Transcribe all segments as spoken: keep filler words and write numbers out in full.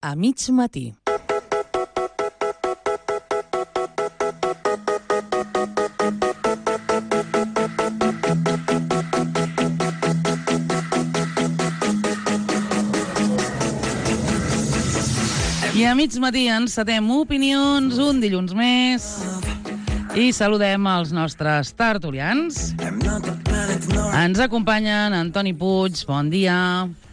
A mig matí. I a mig matí encetem opinions un dilluns més i saludem els nostres tertulians. Ens acompanyen Antoni Puig, bon dia.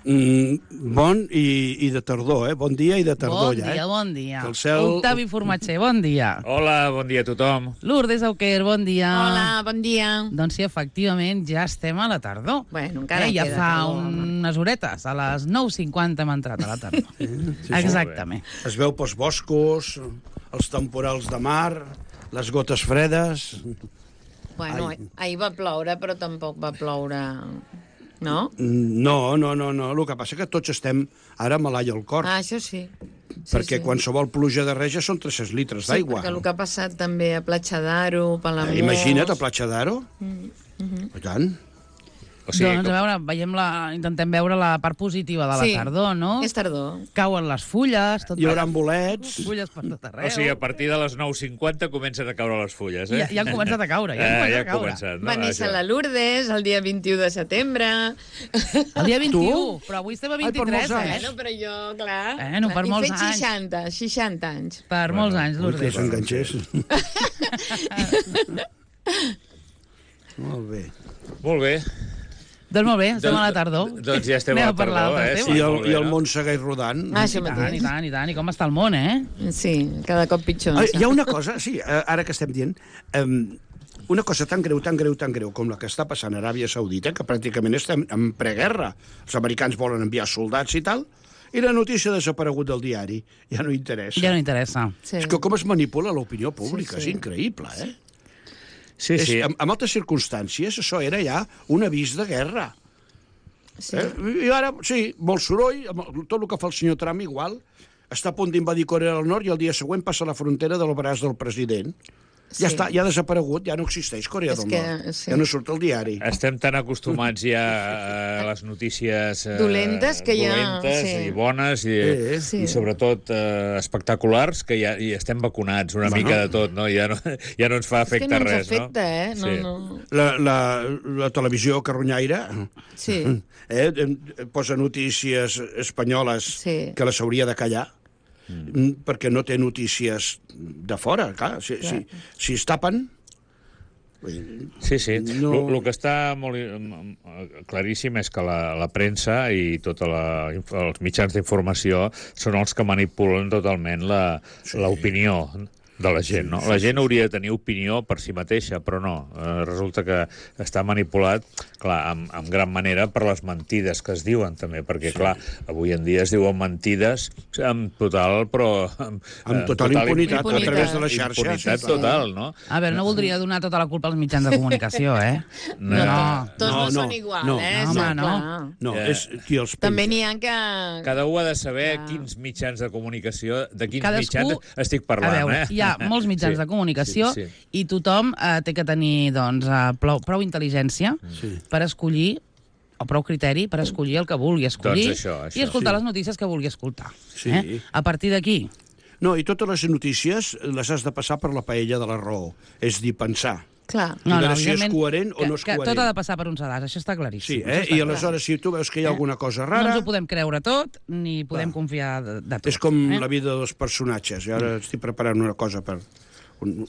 Mm, bon i, i de tardor, eh? Bon dia i de tardor, bon ja, dia, eh? bon dia. Que el cel... Octavi Formatger, bon dia. Hola, bon dia a tothom. Lourdes Auquer, bon dia. Hola, bon dia. Doncs sí, efectivament, ja estem a la tardor. Bueno, encara eh, ja queda fa tardor, unes horetes, a les nou cinquanta hem entrat a la tardor. Sí, sí, Exactament. Es veu pels boscos, els temporals de mar, les gotes fredes... Bueno, Ai. ahir va ploure, però tampoc va ploure... No? No, no, no, no. El que passa que tots estem ara malai al cor, Ah, això sí. sí perquè sí. qualsevol pluja de res ja són tres-cents litres Sí, d'aigua. perquè el que ha passat també a Platja d'Aro, Palamós... Eh, imagina't, a Platja d'Aro. Mm -hmm. I tant. O sigui, Doncs, a veure, veiem la, intentem veure la part positiva de la Sí, tardor, no? és tardor. Cauen les fulles, tot Hi haurà bolets. fulles per tot arreu. o sigui, a partir de les nou cinquanta comencen a caure les fulles, eh? Ja, ja han començat a caure, ja han Eh, començat ja a ha caure. començat, no? Va néixer Això. la Lourdes el dia vint-i-u de setembre. El dia vint-i-u, però avui estem a Ai, per vint-i-tres, molts anys. eh? Bueno, però jo, clar... Bueno, per I molts fet anys. seixanta, seixanta anys. Per Bueno, molts anys, Ui, que Lourdes. s'enganxés. Molt bé. Molt bé. Doncs molt bé, estem Doncs- a la tardor. Doncs ja estem Anem a la parlar tardor, d'altres eh? temes. I el, molt bé, i el no? món segueix rodant. Ah, això I tant, i mateix. tant, i tant. I com està el món, eh? Sí, cada cop pitjor. Ah, hi ha una cosa, sí, eh, ara que estem dient, um, una cosa tan greu, tan greu, tan greu com la que està passant a Aràbia Saudita, que pràcticament estem en preguerra. Els americans volen enviar soldats i tal, i la notícia ha desaparegut del diari. Ja no interessa. Ja no interessa. Sí. És que com es manipula l'opinió pública, Sí, sí. és increïble, eh? Sí, sí. És, en, en altres circumstàncies, això era ja un avís de guerra. Sí. Eh? I ara, sí, molt soroll, amb el- tot el que fa el senyor Trump igual, està a punt d'invadir Corea del Nord i el dia següent passa la frontera del braç del president. Ja Sí. està, ja ha desaparegut, ja no existeix Corea És del que, Nord. sí. Ja no surt al diari. Estem tan acostumats ja a les notícies eh, Dolentes que ja- dolentes sí. i bones i, Eh, sí. i sobretot eh, espectaculars que ja i estem vacunats una Bueno. mica de tot, no? Ja no, ja no ens fa És que efecte no ens res, afecta, no? eh? No, Sí. no. La, la, la televisió carronyaire Sí. eh, em- posa notícies espanyoles Sí. que les hauria de callar, mm. perquè no té notícies de fora, clar. Si, Clar. si, si es tapen... Sí, sí. No. El que està molt eh, claríssim és que la, la premsa i tots els mitjans d'informació són els que manipulen totalment la- l'opinió de la gent, no? La gent hauria de tenir opinió per si mateixa, però no. Eh, resulta que està manipulat, clar, en, en gran manera per les mentides que es diuen, també, perquè, sí. clar, avui en dia es diuen mentides amb total, però... Amb, Amb total impunitat, impunitat. a través de la xarxa. Impunitat sí, sí. total, no? A veure, no voldria donar tota la culpa als mitjans de comunicació, eh? No. No. Tots No, no, no, són igual, no. eh? No, Sí, home, no. clar. No, Ja. és qui els penja. També n'hi ha que... Cada un ha de saber Clar. quins mitjans de comunicació, de quins Cadascú- mitjans estic parlant, A veure, eh? hi ha molts mitjans Sí, de comunicació sí, sí. i tothom eh, té que tenir doncs, eh, prou, prou intel·ligència Sí. per escollir, o prou criteri per escollir el que vulgui escollir Doncs això, això. i escoltar Sí. les notícies que vulgui escoltar. Sí. Eh? A partir d'aquí, No, i totes les notícies les has de passar per la paella de la raó. És dir, pensar. Clar. I veure si és evidentment coherent o que, no és que coherent. tot ha de passar per un sedàs, això està claríssim. Sí, això eh? està I clar. aleshores, si tu veus que hi ha Eh? alguna cosa No rara... ens ho podem creure tot, ni podem Clar. confiar de, de tot. És com eh? la vida dels personatges. Jo ara estic preparant una cosa per... Un...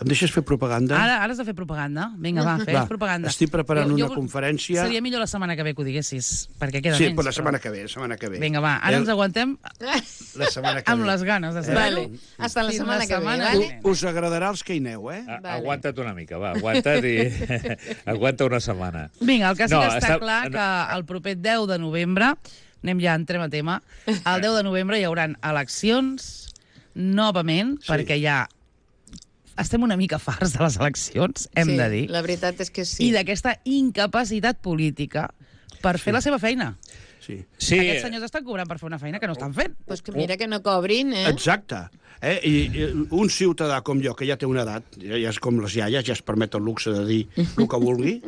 Em deixes fer propaganda? Ara, ara has de fer propaganda. Vinga, va, fes Va, propaganda. estic preparant una conferència. Seria millor la setmana que ve que ho diguessis, perquè queda Sí, menys. però la però- setmana que ve, la setmana que ve. Vinga, va, ara El- ens aguantem La setmana que amb ve. les ganes de Vale. saber-ho. Hasta la Fins setmana que ve, setmana vale? que ve. Us agradarà els que hi aneu, eh? A- Vale. Aguanta't una mica, va, aguanta't i... aguanta una setmana. Vinga, el que sí No, que està està- clar que el proper deu de novembre, anem ja, entrem a tema, el deu de novembre hi haurà eleccions novament, Sí. perquè ja estem una mica farts de les eleccions, hem sí, de dir, La veritat és que sí. i d'aquesta incapacitat política per fer la seva feina. Sí. Sí, Aquests senyors estan cobrant per fer una feina que no estan fent. Pues que mira que no cobrin, eh? Exacte. Eh? I, I un ciutadà com jo, que ja té una edat, ja, ja és com les iaies, ja es permet el luxe de dir el que vulgui,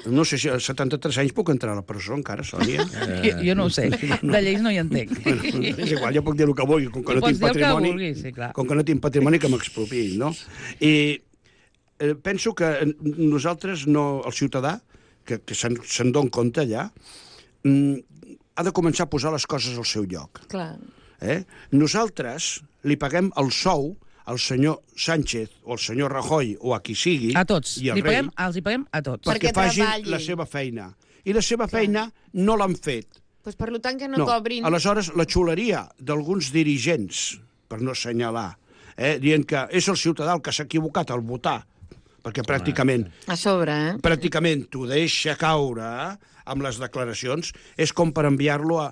No sé si a setanta-tres anys puc entrar a la presó encara, Sònia. Jo, jo no ho sé, de lleis no hi entenc. Bueno, és igual, jo puc dir el que vulgui, com que no Pots tinc dir el que patrimoni, vulguis, sí, clar. com que no tinc patrimoni que m'expropiïn, no? I eh, penso que nosaltres, no, el ciutadà, que, que se'n se dona compte allà, mm, ha de començar a posar les coses al seu lloc. Clar. Eh? Nosaltres li paguem el sou al senyor Sánchez o al senyor Rajoy o a qui sigui, A tots. i al Li rei, paguem, els hi paguem a tots. perquè Perquè facin treballin. la seva feina. I la seva feina no l'han fet. Pues per tant que no, cobrin... Aleshores, la xuleria d'alguns dirigents, per no assenyalar, eh, dient que és el ciutadà el que s'ha equivocat al votar, perquè pràcticament A sobre, eh? pràcticament t'ho deixa caure amb les declaracions, és com per enviar-lo a...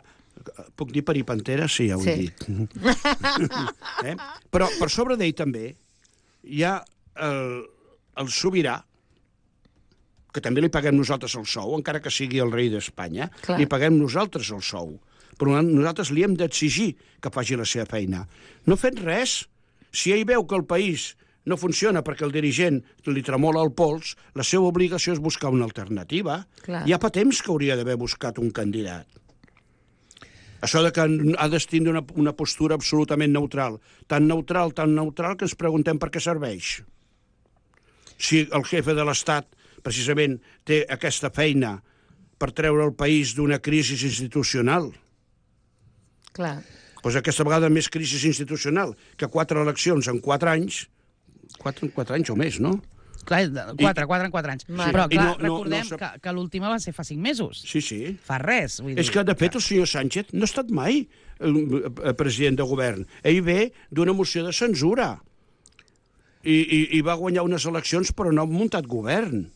Puc dir peripantera? Sí, ja ho he Sí. dit. eh? Però per sobre d'ell també hi ha el, el sobirà, que també li paguem nosaltres el sou, encara que sigui el rei d'Espanya, Clar. li paguem nosaltres el sou. Però nosaltres li hem d'exigir que faci la seva feina. No ha fet res. Si ell veu que el país no funciona perquè el dirigent li tremola el pols, la seva obligació és buscar una alternativa. Clar. Ja fa temps que hauria d'haver buscat un candidat. Això de que ha de tindre una, una postura absolutament neutral. Tan neutral, tan neutral, que ens preguntem per què serveix. Si el jefe de l'Estat, precisament, té aquesta feina per treure el país d'una crisi institucional, Clar. doncs aquesta vegada més crisi institucional que quatre eleccions en quatre anys, quatre, quatre anys o més, no? Clar, quatre, quatre en quatre anys. Sí. Però, I clar, no- no- recordem no sap- que, que l'última va ser fa cinc mesos. Sí, sí. Fa res, vull dir. És que, de fet, el senyor Sánchez no ha estat mai eh, president de govern. Ell ve d'una moció de censura. I, i, I va guanyar unes eleccions, però no ha muntat govern.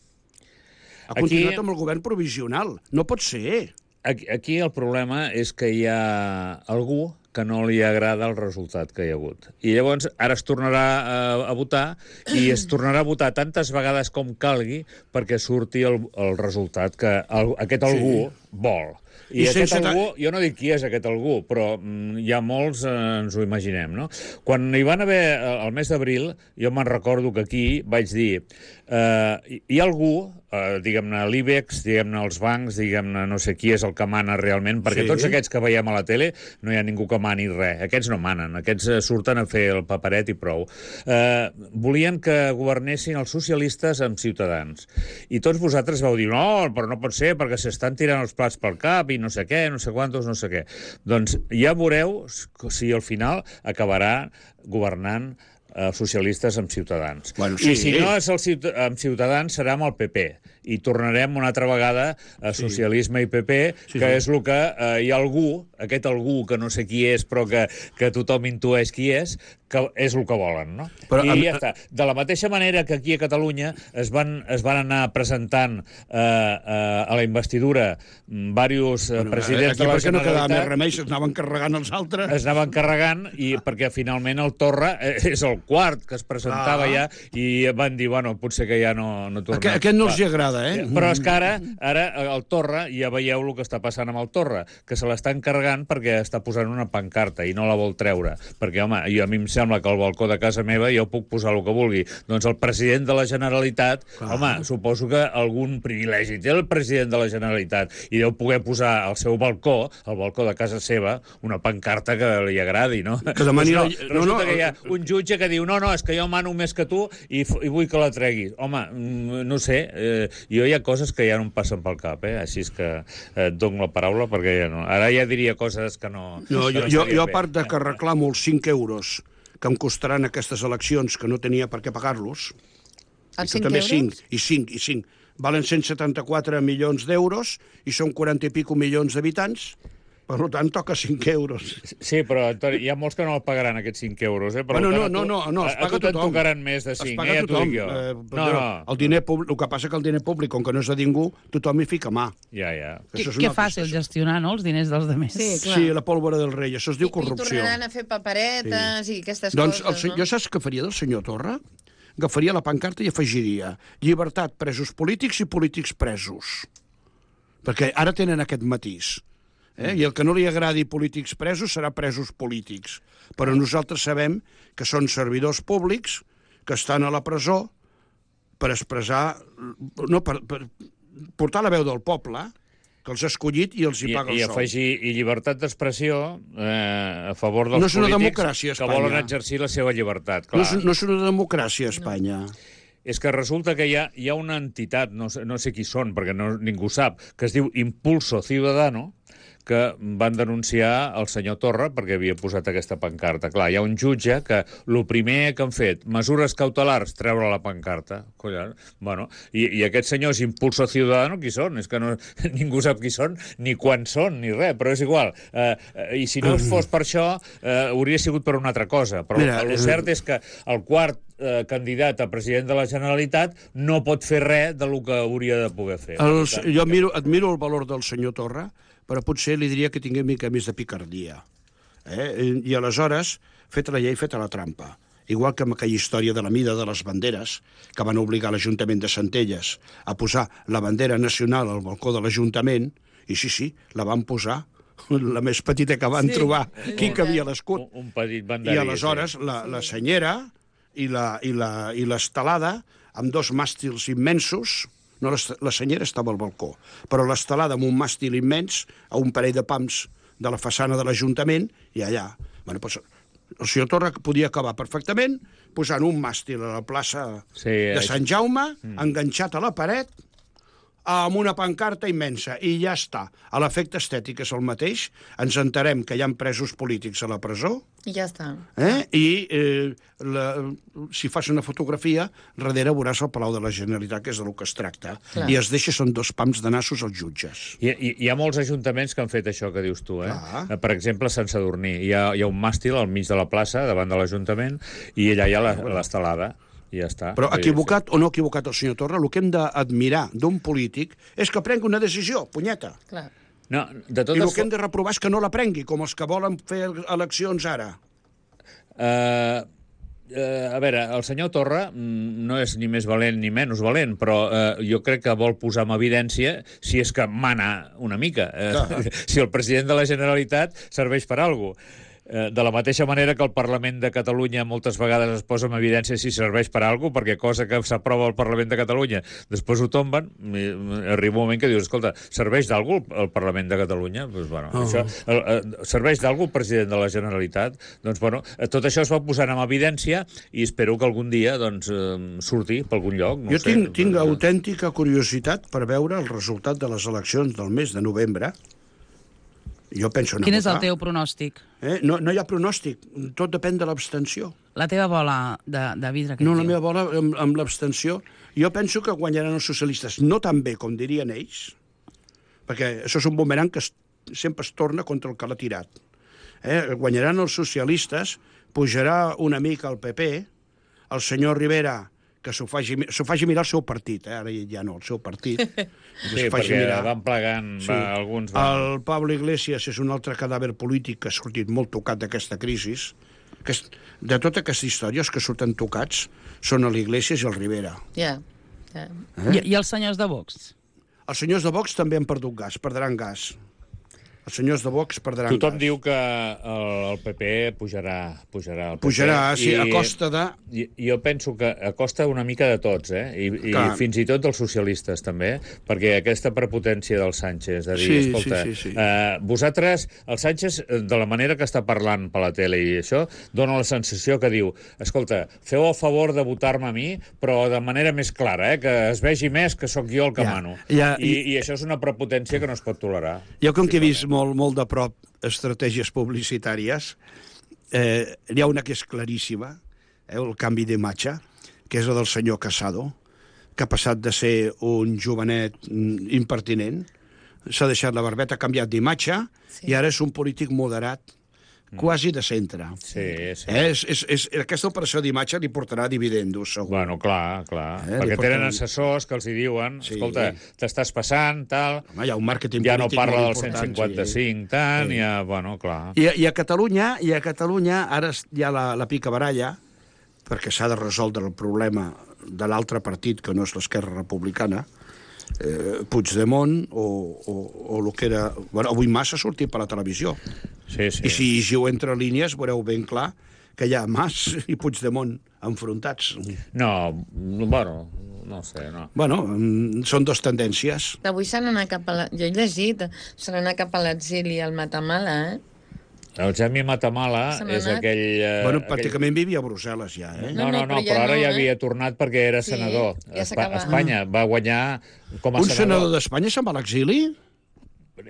Ha Aquí- continuat amb el govern provisional. No pot ser. Aquí, aquí el problema és que hi ha algú que no li agrada el resultat que hi ha hagut. I llavors ara es tornarà a, a votar i es tornarà a votar tantes vegades com calgui perquè surti el, el resultat que el, aquest algú sí. vol. I, I I aquest sense algú, jo no dic qui és aquest algú, però mm, hi ha molts, eh, ens ho imaginem, no? Quan hi van haver, eh, el mes d'abril, jo me'n recordo que aquí vaig dir eh, hi, hi ha algú, eh, diguem-ne l'IBEX, diguem-ne els bancs, diguem-ne no sé qui és el que mana realment, perquè Sí. tots aquests que veiem a la tele no hi ha ningú que mani res. Aquests no manen, aquests eh, surten a fer el paperet i prou. Eh, volien que governessin els socialistes amb Ciutadans. I tots vosaltres vau dir, no, però no pot ser, perquè s'estan tirant els plats pel cap i no sé què, no sé quantos, no sé què. Doncs ja veureu si al final acabarà governant eh, socialistes amb Ciutadans. Bueno, sí. I si no és el ciut amb Ciutadans, serà amb el P P. I tornarem una altra vegada a socialisme i P P, Sí, que sí. és el que eh, hi ha algú, aquest algú que no sé qui és, però que, que tothom intueix qui és, que és el que volen, no? Però, I a- ja està. De la mateixa manera que aquí a Catalunya es van, es van anar presentant eh, eh, a la investidura mm, diversos eh, presidents Aquí de la perquè no quedava més Generalitat, remei, s'anaven carregant els altres. es anaven carregant i perquè finalment el Torra eh, és el quart que es presentava Ah. ja i van dir, bueno, potser que ja no, no tornem. Aquest, aquest no els hi agrada, eh? Però és que ara, ara el Torra, ja veieu el que està passant amb el Torra, que se l'estan carregant perquè està posant una pancarta i no la vol treure. Perquè, home, jo, a mi em sembla que al balcó de casa meva jo puc posar el que vulgui. Doncs el president de la Generalitat, Clar. home, suposo que algun privilegi té el president de la Generalitat i deu poder posar al seu balcó, al balcó de casa seva, una pancarta que li agradi, no? Que demani Doncs no, la- resulta no, no, que hi ha un jutge que diu, no, no, és que jo mano més que tu i, f- i vull que la treguis. Home, mm, no sé, eh, jo hi ha coses que ja no em passen pel cap, eh? Així és que eh, et dono la paraula perquè ja no. Ara ja diria coses que no... No, que jo, no jo, estaria jo, a bé. part de que reclamo els cinc euros que em costaran aquestes eleccions, que no tenia per què pagar-los, i Els tu cinc també euros? cinc, i cinc, i cinc, valen cent setanta-quatre milions d'euros i són quaranta i pico milions d'habitants, per tant, toca cinc euros. Sí, però Antoni, hi ha molts que no el pagaran, aquests cinc euros, eh? Per Bueno, tant, no, a tu- no, no, no, els a- a paga tu te'n tothom. tocaran més de Es cinc, paga eh? Ja t'ho tothom. dic jo. Eh, no, però no, El, diner públic, el que passa que el diner públic, com que no és de ningú, tothom hi fica mà. ja, ja. Que, Això és que una altra fàcil cosa. gestionar, no?, els diners dels altres. Sí, clar. Sí, la pólvora del rei, això es diu I, corrupció. I tornaran a fer paperetes sí. i aquestes Doncs el, coses, se- no? jo saps què faria del senyor Torra? Agafaria la pancarta i afegiria llibertat, presos polítics i polítics presos. Perquè ara tenen aquest matís. Eh? I el que no li agradi polítics presos serà presos polítics. Però nosaltres sabem que són servidors públics que estan a la presó per expressar... No, per, per, portar la veu del poble, que els ha escollit i els hi I, paga el i sou. afegir i llibertat d'expressió eh, a favor dels No és una polítics democràcia, que Espanya. volen exercir la seva llibertat. Clar. No és, no és una democràcia, Espanya. És que resulta que hi ha, hi ha una entitat, no sé, no sé qui són, perquè no, ningú sap, que es diu Impulso Ciudadano, que van denunciar el senyor Torra perquè havia posat aquesta pancarta. Clar, hi ha un jutge que el primer que han fet, mesures cautelars, treure la pancarta. Collons, bueno, i, i aquests senyors Impulso Ciudadano, qui són? És que no, ningú sap qui són, ni quan són, ni res, però és igual. Eh, I si no fos per això, eh, hauria sigut per una altra cosa. Però Mira, el cert és que el quart eh, candidat a president de la Generalitat no pot fer res del que hauria de poder fer. Els, jo admiro, admiro el valor del senyor Torra, però potser li diria que tingui una mica més de picardia. Eh? I aleshores, feta la llei, feta la trampa. Igual que amb aquella història de la mida de les banderes, que van obligar l'Ajuntament de Centelles a posar la bandera nacional al balcó de l'Ajuntament, i sí, sí, la van posar, la més petita que van sí, trobar, qui cabia l'escut. Un, un petit banderí. I aleshores sí. la, la senyera i la, i la, i l'estelada, amb dos màstils immensos. No, la senyera estava al balcó, però l'estelada amb un màstil immens, a un parell de pams de la façana de l'Ajuntament, i allà. Bueno, doncs, el senyor Torra podia acabar perfectament posant un màstil a la plaça sí, de Sant Jaume, mm. enganxat a la paret, amb una pancarta immensa, i ja està. A l'efecte estètic és el mateix, ens enterem que hi ha presos polítics a la presó, i ja està. Eh? I eh, la, si fas una fotografia, darrere veuràs el Palau de la Generalitat, que és del que es tracta. Clar. I es deixa, són dos pams de nassos als jutges. Hi, hi, hi ha molts ajuntaments que han fet això que dius tu, eh? Clar. Per exemple, a Sant Sadurní. Hi ha, hi ha un màstil al mig de la plaça, davant de l'Ajuntament, i allà hi ha l'estelada. I ja està. Però equivocat o no equivocat el senyor Torra, el que hem d'admirar d'un polític és que prengui una decisió, punyeta. Clar. No, de totes... I el que hem de reprovar és que no la prengui, com els que volen fer eleccions ara. Uh, uh, a veure, el senyor Torra no és ni més valent ni menys valent, però uh, jo crec que vol posar en evidència si és que mana una mica. Uh, si el president de la Generalitat serveix per alguna cosa. De la mateixa manera que el Parlament de Catalunya moltes vegades es posa en evidència si serveix per a alguna cosa, perquè cosa que s'aprova al Parlament de Catalunya després ho tomben, arriba un moment que dius, escolta, serveix d'alguna cosa el Parlament de Catalunya? Pues, bueno, oh. això, serveix d'alguna cosa el president de la Generalitat? Doncs, bueno, tot això es va posant en evidència i espero que algun dia doncs, surti per algun lloc. No jo sé, tinc, tinc autèntica curiositat per veure el resultat de les eleccions del mes de novembre. Jo penso anar Quin a és el votar. teu pronòstic? Eh? No, no hi ha pronòstic, tot depèn de l'abstenció. La teva bola de, de vidre que No, et la diu. meva bola amb, amb l'abstenció. Jo penso que guanyaran els socialistes, no tan bé com dirien ells, perquè això és un bumerang que es, sempre es torna contra el que l'ha tirat. Eh? Guanyaran els socialistes, pujarà una mica el P P, el senyor Rivera, que s'ho faci, faci mirar el seu partit, eh? Ara ja no, el seu partit. Sí, perquè mirar. van plegant, sí. va, alguns... Van... El Pablo Iglesias és un altre cadàver polític que ha sortit molt tocat d'aquesta crisi. Que és, de totes aquestes històries que surten tocats són l'Iglesias i el Rivera. Ja, yeah. yeah. Eh? I, I els senyors de Vox? Els senyors de Vox també han perdut gas, perdran gas. Els senyors de Vox perdran Tothom gas. diu que el, el P P pujarà, pujarà el P P. Pujarà, sí, I, a costa de... I, jo penso que a costa una mica de tots, eh? I, i fins i tot dels socialistes, també, perquè aquesta prepotència del Sánchez, de dir, sí, escolta, sí, sí, sí. Eh, vosaltres, el Sánchez, de la manera que està parlant per la tele i això, dona la sensació que diu, escolta, feu el favor de votar-me a mi, però de manera més clara, eh? Que es vegi més que sóc jo el que ja, mano. Ja, I, i... I això és una prepotència que no es pot tolerar. Jo, com que he vist molt, molt de prop estratègies publicitàries, eh, hi ha una que és claríssima, eh, el canvi d'imatge, que és la del senyor Casado, que ha passat de ser un jovenet impertinent, s'ha deixat la barbeta, ha canviat d'imatge, sí. I ara és un polític moderat, quasi de centre. Sí, sí. Eh, és, és, és, aquesta operació d'imatge li portarà dividendos, segur. Bueno, clar, clar. Eh, perquè porten... tenen assessors que els hi diuen, sí. Escolta, t'estàs passant, tal... Home, hi ha un màrqueting ja no polític parla molt del cent important, cinquanta-cinc, sí. Tant, sí. Ja, bueno, clar. I, i a Catalunya, i a Catalunya ara hi ha la, la picabaralla, perquè s'ha de resoldre el problema de l'altre partit, que no és l'Esquerra Republicana, eh, Puigdemont o, o, o el que era... Bueno, avui massa ha sortit per la televisió. Sí, sí. I si llegiu entre línies veureu ben clar que hi ha Mas i Puigdemont enfrontats. No, bueno, no sé, no. Bueno, són dos tendències. Avui se n'anà cap a la... Jo he llegit, se n'anà cap a l'exili al Matamala, eh? El Jaime Matamala Se n'ha és anat? aquell... Eh, Bueno, aquell... pràcticament vivia a Brussel·les ja, eh? No, no, no, però ja però ara no, ja eh? havia tornat perquè era Sí, senador. ja Espa s'acaba. Espanya va guanyar com a Un senador. senador d'Espanya se'n va a l'exili?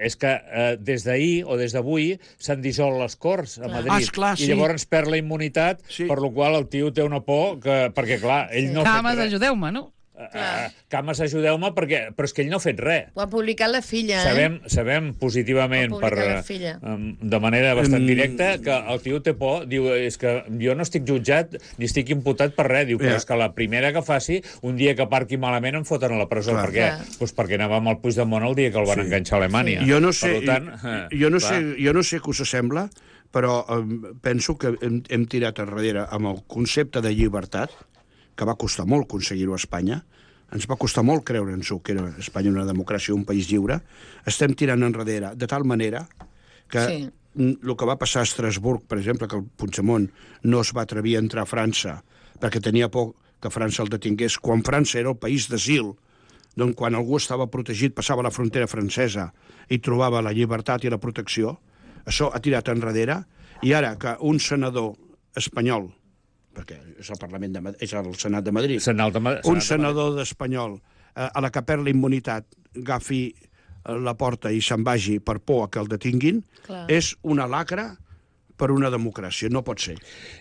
És que eh, des d'ahir o des d'avui s'han dissolt les Corts a Madrid. Ah, esclar, sí. I llavors perd la immunitat, Sí. per la qual el tio té una por que... Perquè, clar, ell no ha Cames, fet res. ajudeu-me, no? Uh, Cames, ajudeu-me, perquè... però és que ell no ha fet res. Ho ha publicat la filla, eh? Sabem, sabem positivament, Ho ha per, publicat la filla. um, de manera bastant Mm. directa, que el tio té por. Diu, és que jo no estic jutjat ni estic imputat per res. Diu, però Ja. és que la primera que faci, un dia que parqui malament, em foten a la presó. Clar. Per què? Clar. Pues perquè anava amb el Puigdemont el dia que el van Sí. enganxar a Alemanya. Jo no sé, Per tant, eh, jo no clar. sé, jo no sé què us sembla, però eh, penso que hem, hem tirat enrere amb el concepte de llibertat, que va costar molt aconseguir-ho a Espanya, ens va costar molt creure'ns-ho, que era Espanya una democràcia, un país lliure, estem tirant enrere de tal manera que Sí. el que va passar a Estrasburg, per exemple, que el Puigdemont no es va atrevir a entrar a França perquè tenia por que França el detingués, quan França era el país d'asil, doncs quan algú estava protegit passava la frontera francesa i trobava la llibertat i la protecció, això ha tirat enrere, i ara que un senador espanyol, perquè és el Parlament de Madrid, és el Senat de Madrid, Senat de Ma- un Senat de senador d'espanyol eh, a la que perd la immunitat agafi eh, la porta i se'n vagi per por a que el detinguin, Clar. és una lacra per una democràcia. No pot ser.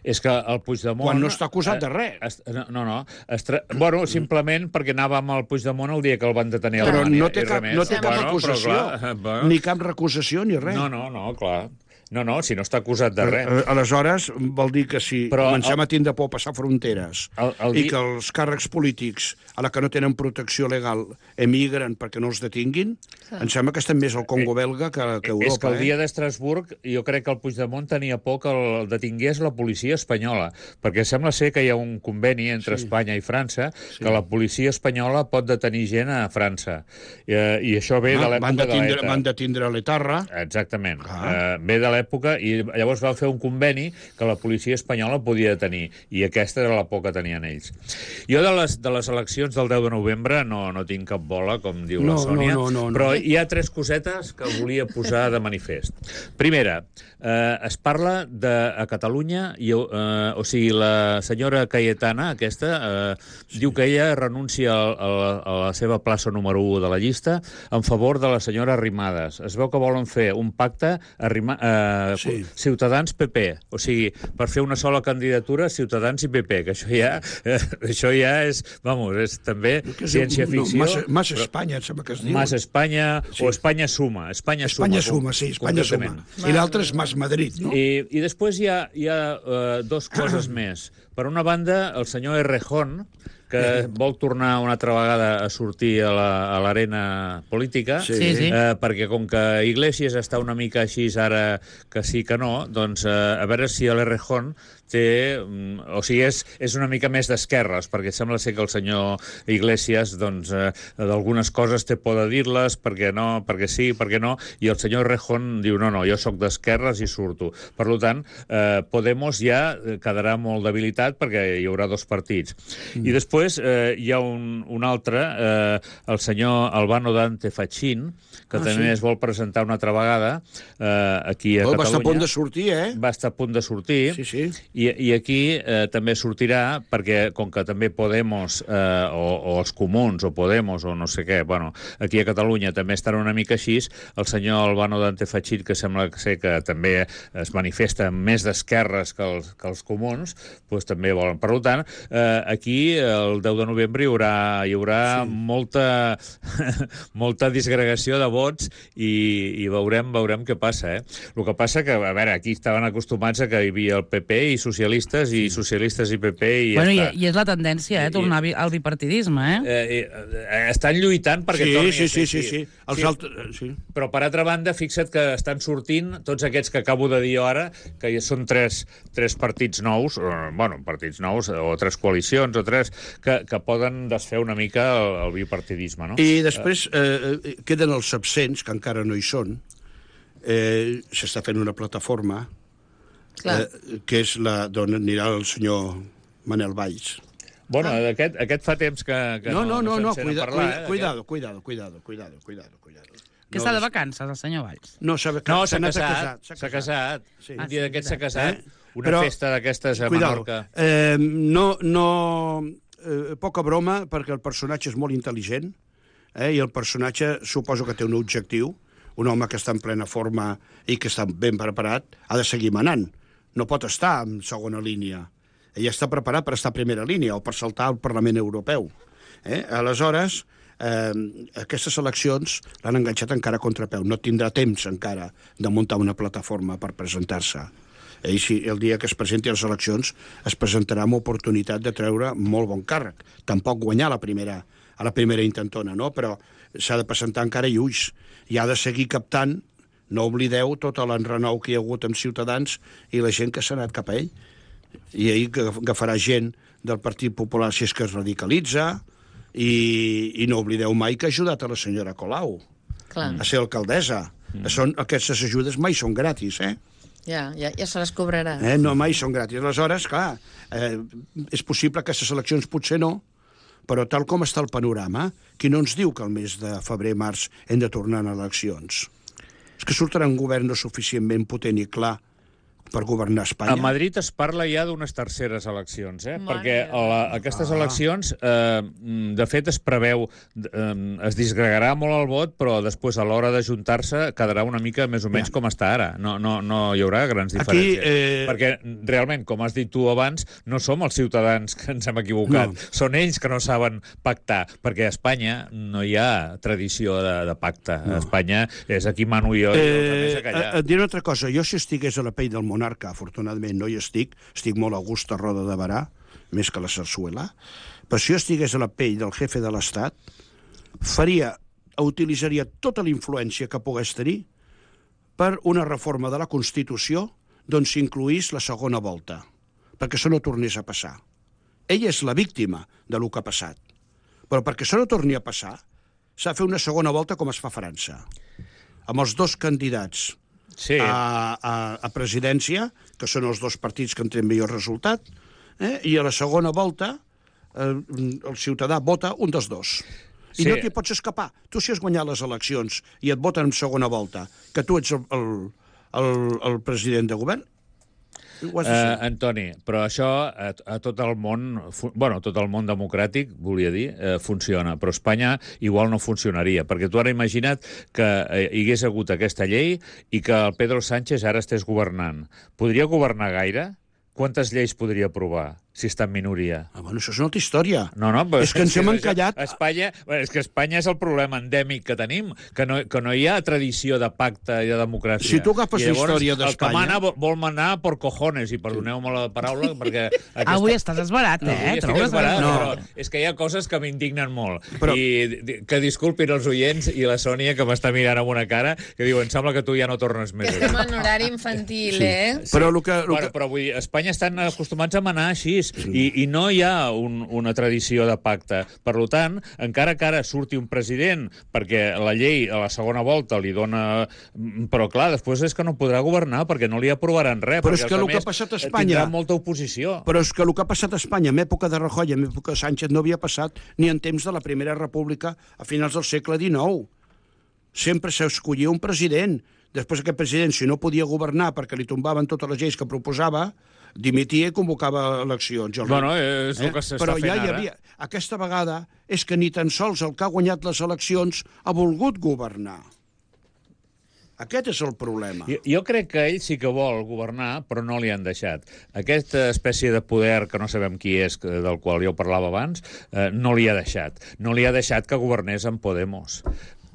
És que el Puigdemont... Quan no està acusat de res. Es, no, no. no estra... Bueno, simplement perquè anava amb el Puigdemont el dia que el van detenir a Però Alemanya. no té i cap, res no més. té cap Bueno, acusació, però clar, bueno. ni cap recusació, ni res. No, no, no, clar. No, no, si no està acusat de res. Eh, Aleshores, vol dir que si Però comencem el- a tindre por a passar fronteres El- el i di- que els càrrecs polítics, a la que no tenen protecció legal, emigren perquè no els detinguin, em sembla que estem més al Congo belga que, que a Europa. És que el dia eh? d'Estrasburg jo crec que el Puigdemont tenia por que el detingués la policia espanyola, perquè sembla ser que hi ha un conveni entre sí. Espanya i França sí. que la policia espanyola pot detenir gent a França. I, eh, i això ve Ah, de van l'època de detindre, l'ETA. van detindre l'Etarra. Exactament. Ah. Uh, ve de l'època i llavors va fer un conveni que la policia espanyola podia detenir i aquesta era la por que tenien ells. Jo de les, de les eleccions del deu de novembre no, no tinc cap bola, com diu No, la Sònia, no, no, no, no. però hi ha tres cosetes que volia posar de manifest. Primera, eh, es parla de a Catalunya, i, eh, o sigui, la senyora Cayetana, aquesta, eh, sí. diu que ella renuncia a, a, a la seva plaça número u de la llista en favor de la senyora Arrimadas. Es veu que volen fer un pacte arrima, eh, Sí. Ciutadans-P P, o sigui, per fer una sola candidatura Ciutadans i P P, que això ja, eh, això ja és, vamos, és també Que es diu- ciència-ficció. No, Mas, Mas però- Espanya, em sembla que es diu. Mas Espanya Sí. o Espanya Suma. Espanya Suma. Espanya com- suma, sí, Espanya suma. concretament. I l'altre és Mas Madrid, no? I, I després hi ha, hi ha uh, dos coses més. Per una banda, el senyor Errejón, que vol tornar una altra vegada a sortir a la- a l'arena política, Sí. Sí, sí. eh, perquè com que Iglesias està una mica així ara que sí que no, doncs eh, a veure si l'Errejón té... mm, O sigui, és, és una mica més d'esquerres, perquè sembla ser que el senyor Iglesias, doncs, eh, d'algunes coses té por de dir-les, perquè no, perquè sí, perquè no, i el senyor Errejón diu, no, no, jo sóc d'esquerres i surto. Per tant, eh, Podemos ja quedarà molt debilitat perquè hi haurà dos partits. Mm. I després eh, hi ha un, un altre, eh, el senyor Albano Dante Fachin, que Ah, també sí? es vol presentar una altra vegada eh, aquí a Oh, va Catalunya. estar a punt de sortir, eh? Va estar a punt de sortir. Sí, sí. I, i aquí eh, també sortirà, perquè com que també Podemos, eh, o, o els Comuns, o Podemos, o no sé què, bueno, aquí a Catalunya també estan una mica així, el senyor Albano Dante Fachin, que sembla ser que també es manifesta més d'esquerres que els, que els Comuns, doncs també volen. Per tant, eh, aquí el deu de novembre hi haurà, hi haurà sí. molta, molta disgregació de vots i, i veurem, veurem què passa, eh? El que passa que, a veure, aquí estaven acostumats a que hi havia el P P i socialistes, i socialistes i P P, i Bueno, ja i, està. i és la tendència, eh? Tornar bi- al bipartidisme, eh? Eh, eh, estan lluitant perquè Sí, torni sí, a sí, ser sí, així. sí. Els Sí, altres... Sí. Però, per altra banda, fixa't que estan sortint tots aquests que acabo de dir jo ara, que ja són tres, tres partits nous, eh, bueno, partits nous, o tres coalicions, o tres, que, que poden desfer una mica el, el bipartidisme, no? I després eh, eh, queden els absents, que encara no hi són. Eh, S'està fent una plataforma Clar. eh, que és la d'on anirà el senyor Manel Valls. Bueno, aquest, aquest fa temps que, que No, no, no, no, se'n sent cuida, a parlar. cuida, eh, cuidado, cuidado, cuidado, cuidado, cuidado, cuidado. Que està de vacances, el senyor Valls. No, s'ha No, s'ha anat a casat, casar, s'ha casat. Sí. Un dia d'aquests s'ha casat. Eh? Una Però, festa d'aquestes a Cuidado, Menorca. eh, no, no, eh, poca broma, perquè el personatge és molt intel·ligent, eh, i el personatge suposo que té un objectiu, un home que està en plena forma i que està ben preparat, ha de seguir manant. No pot estar en segona línia. Ell està preparat per estar a primera línia o per saltar al Parlament Europeu. Eh? Aleshores, eh, aquestes eleccions l'han enganxat encara a contrapeu. No tindrà temps encara de muntar una plataforma per presentar-se. Ell, si el dia que es presenti a les eleccions, es presentarà amb oportunitat de treure molt bon càrrec. Tampoc guanyar la primera, a la primera intentona, no? Però s'ha de presentar encara i ulls. I ha de seguir captant, no oblideu, tot l'enrenou que hi ha hagut amb Ciutadans i la gent que s'ha anat cap a ell. I ell agafarà gent del Partit Popular si és que es radicalitza, i, i no oblideu mai que ha ajudat a la senyora Colau Clar. a ser alcaldessa. Mm. Són, aquestes ajudes mai són gratis, eh? Ja, ja, ja se les cobrarà. eh? No, mai són gratis. Aleshores, clar, eh, és possible que aquestes eleccions potser no, però tal com està el panorama, qui no ens diu que el mes de febrer-març hem de tornar a eleccions? És que sortirà un govern no suficientment potent i clar per governar Espanya. A Madrid es parla ja d'unes terceres eleccions, eh? Mare perquè meva. la, aquestes Ah. eleccions, eh, de fet, es preveu, eh, es disgregarà molt el vot, però després, a l'hora d'ajuntar-se, quedarà una mica més o menys Ja. com està ara. No, no, no hi haurà grans Aquí, diferències. eh, Perquè, realment, com has dit tu abans, no som els ciutadans que ens hem equivocat. No. Són ells que no saben pactar, perquè a Espanya no hi ha tradició de, de pacte. No. A Espanya és aquí mano jo i els Eh, altres a callar. et diré una altra cosa. Jo, si estigués a la pell del monarca, afortunadament no hi estic, estic molt a gust a Roda de Barà, més que la Sarsuela, però si jo estigués a la pell del jefe de l'Estat, faria, utilitzaria tota la influència que pogués tenir per una reforma de la Constitució d'on s'incluís la segona volta, perquè això no tornés a passar. Ella és la víctima de lo que ha passat, però perquè això no torni a passar, s'ha de fer una segona volta com es fa a França, amb els dos candidats Sí. a, a, a presidència, que són els dos partits que han tret millor resultat, eh? I a la segona volta eh, el ciutadà vota un dels dos. I Sí. no t'hi pots escapar. Tu, si has guanyat les eleccions i et voten en segona volta, que tu ets el, el, el, el president de govern, ho has de Uh, ser. Antoni, però això a, a tot el món, fu- bueno, tot el món democràtic, volia dir, eh, funciona, però a Espanya igual no funcionaria, perquè tu ara imagina't que eh, hi hagués hagut aquesta llei i que el Pedro Sánchez ara estés governant. Podria governar gaire? Quantes lleis podria aprovar si està en minoria? Ah, bueno, això és una altra història. No, no, però És que ens hem això- encallat. Espanya, bueno, és que Espanya és el problema endèmic que tenim, que no, que no hi ha tradició de pacte i de democràcia. Si tu agafes I la llavors, història El que d'Espanya- mana vol, vol manar por cojones, i perdoneu-me la paraula, perquè... Aquesta... Avui estàs esbarat, No, eh? avui estic Trobes? esbarat, No. però és que hi ha coses que m'indignen molt. Però- I di- que disculpin els oients i la Sònia, que m'està mirant amb una cara, que diu, em sembla que tu ja no tornes més. Estem en horari infantil, sí. eh? Però el que... El Bueno, que... però vull dir, a Espanya estan acostumats a manar així, i, i no hi ha un, una tradició de pacte. Per tant, encara que ara surti un president, perquè la llei a la segona volta li dona... Però clar, després és que no podrà governar, perquè no li aprovaran res. Però perquè és que els el que altres ha passat a eh, Espanya- tindran molta oposició. Però és que el que ha passat a Espanya en època de Rajoy, en època de Sánchez, no havia passat ni en temps de la Primera República a finals del segle dinou. Sempre s'escollia un president. Després aquest president, si no podia governar perquè li tombaven totes les lleis que proposava, dimitia i convocava eleccions. El Bueno, és el que s'està Però fent ja hi ara. havia... Aquesta vegada és que ni tan sols el que ha guanyat les eleccions ha volgut governar. Aquest és el problema. Jo, jo crec que ell sí que vol governar, però no li han deixat. Aquesta espècie de poder, que no sabem qui és, que- del qual jo parlava abans, eh, no li ha deixat. No li ha deixat que governés amb Podemos,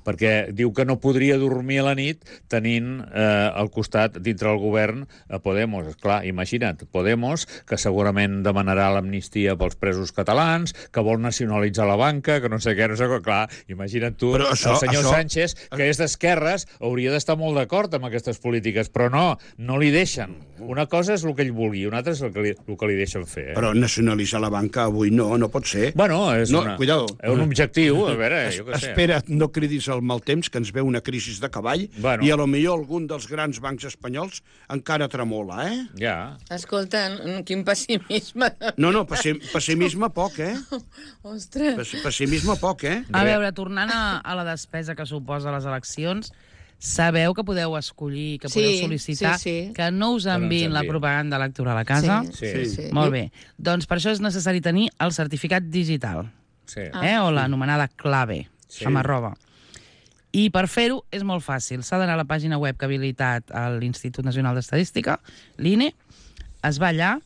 perquè diu que no podria dormir a la nit tenint eh, al costat, dintre del govern, a Podemos. Esclar, imagina't, Podemos, que segurament demanarà l'amnistia pels presos catalans, que vol nacionalitzar la banca, que no sé què, no sé què. Clar, imagina't tu, Però això- el senyor això- Sánchez, que és d'esquerres, hauria d'estar molt d'acord amb aquestes polítiques, però no, no li deixen. Una cosa és el que ell vulgui, una altra és el que li, el que li deixen fer. Eh? Però nacionalitzar la banca avui no, no pot ser. Bueno, és No, una, cuidado. és un objectiu, a veure, jo què sé. Espera, no cridis el mal temps, que ens ve una crisi de cavall, Bueno. i a lo millor algun dels grans bancs espanyols encara tremola, eh? Ja. Escolta, quin pessimisme. No, no, pessim, pessimisme poc, eh? Ostres. Pes, pessimisme poc, eh? A veure, tornant a, a la despesa que suposa les eleccions, sabeu que podeu escollir, que podeu Sí, sol·licitar sí, sí. que no us no ens enviïn la enviïn. propaganda electoral a casa? Sí, Sí. sí, sí. Molt bé. Doncs per això és necessari tenir el certificat digital, Sí. Ah. eh? o l'anomenada clave, Sí. amb arroba. I per fer-ho és molt fàcil. S'ha d'anar a la pàgina web que ha habilitat a l'Institut Nacional d'Estadística, l'I N E, es va allà,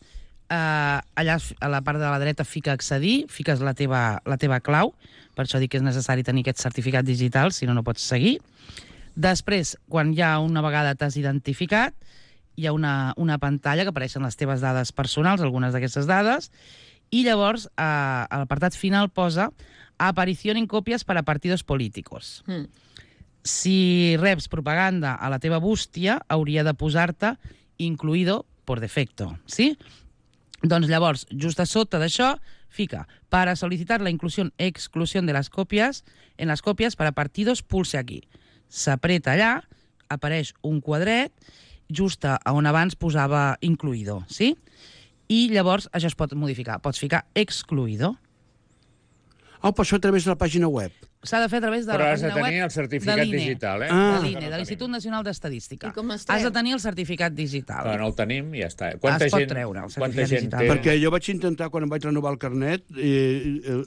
eh, allà a la part de la dreta fica accedir, fiques la teva, la teva clau, per això dic que és necessari tenir aquest certificat digital, si no, no pots seguir. Després, quan ja una vegada t'has identificat, hi ha una, una pantalla que apareixen les teves dades personals, algunes d'aquestes dades, i llavors eh, a l'apartat final posa aparició en còpies per a partidos políticos. Mm. Si reps propaganda a la teva bústia, hauria de posar-te incluido por defecto, sí? Doncs llavors, just a sota d'això, fica para solicitar la inclusión exclusión de las copias, en las copias para partidos, pulse aquí. S'apreta allà, apareix un quadret, just a on abans posava incluido, sí? I llavors això es pot modificar. Pots ficar excluido. Oh, però això a través de la pàgina web. S'ha de fer a través de Però la has de pàgina tenir web el certificat de l'I N E. digital, eh? Ah. De l'I N E, de l'Institut Nacional d'Estadística. I com es treu? Has de tenir el certificat digital. Però no el tenim i ja està. Es pot gent, treure, el quanta certificat gent digital. té? Perquè jo vaig intentar, quan em vaig renovar el carnet, i,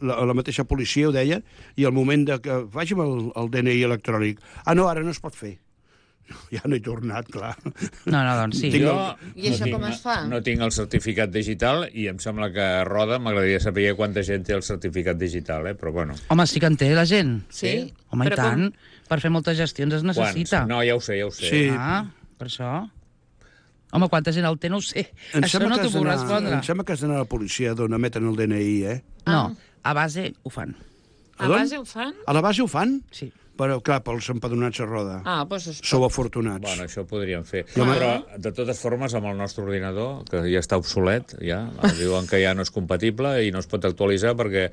la, la mateixa policia ho deia, i al moment de que faci'm el, el D N I electrònic, ah, no, ara no es pot fer. Ja no he tornat, clar. No, no, doncs sí. Tinc Jo I això tinc, com es fa? No tinc el certificat digital i em sembla que a Roda m'agradaria saber quanta gent té el certificat digital, eh? Però bueno. Home, sí que en té la gent. Sí? Home, Però i tant. com? Per fer moltes gestions es necessita. Quants? No, ja ho sé, ja ho sé. Sí. Ah, per això. Home, quanta gent el té, no ho sé. Em Això sembla no que t'ho has puc d'anar- respondre. Em sembla que has d'anar a la policia d'on emeten el D N I, eh? No, a base ho fan. A d'on? base ho fan? A la base ho fan? Sí. Però, clar, pels empadronats a Roda. Ah, doncs es Sou pot. afortunats. Bueno, això ho podríem fer. Jo me- Però, de totes formes, amb el nostre ordinador, que ja està obsolet, ja, diuen que ja no és compatible i no es pot actualitzar perquè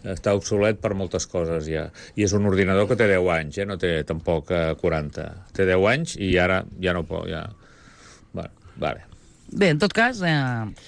està obsolet per moltes coses, ja. I és un ordinador que té deu anys, eh? No té tampoc eh, quaranta. Té deu anys i ara ja no pot, ja... Bueno, vale. Bé, en tot cas, eh,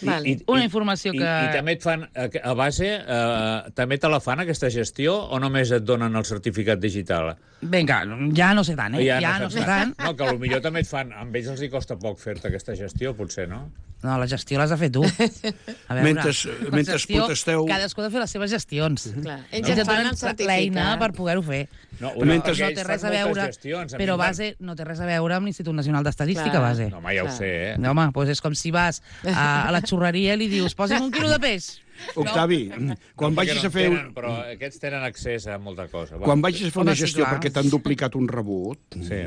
Vale. una informació i, que... I també et fan, a, a base, eh, també te la fan aquesta gestió o només et donen el certificat digital? Vinga, ja no sé tant, eh? Ja, ja no, saps sé tant. No, que potser també et fan... Amb ells els hi costa poc fer-te aquesta gestió, potser, no? No, la gestió l'has de fer tu. A veure, Mentre- la mentre gestió, protesteu- Cadascú ha de fer les seves gestions. Clar. Ells Ells et et fan donen el certificat. l'eina per poder-ho fer. No, Mentre- No ells té fan res a moltes veure, gestions, a mi però em van- base no té res a veure amb l'Institut Nacional d'Estadística, Clar. base. No, home, ja ho Clar. sé, eh? No, home, doncs és com si vas a, a la xurreria i li dius, posa'm un quilo de peix. Octavi, quan No, vagis perquè a fer... no en Tenen, però aquests tenen accés a molta cosa. Va. Quan vagis a fer Home, una sí, gestió clar. perquè t'han duplicat un rebut, Sí.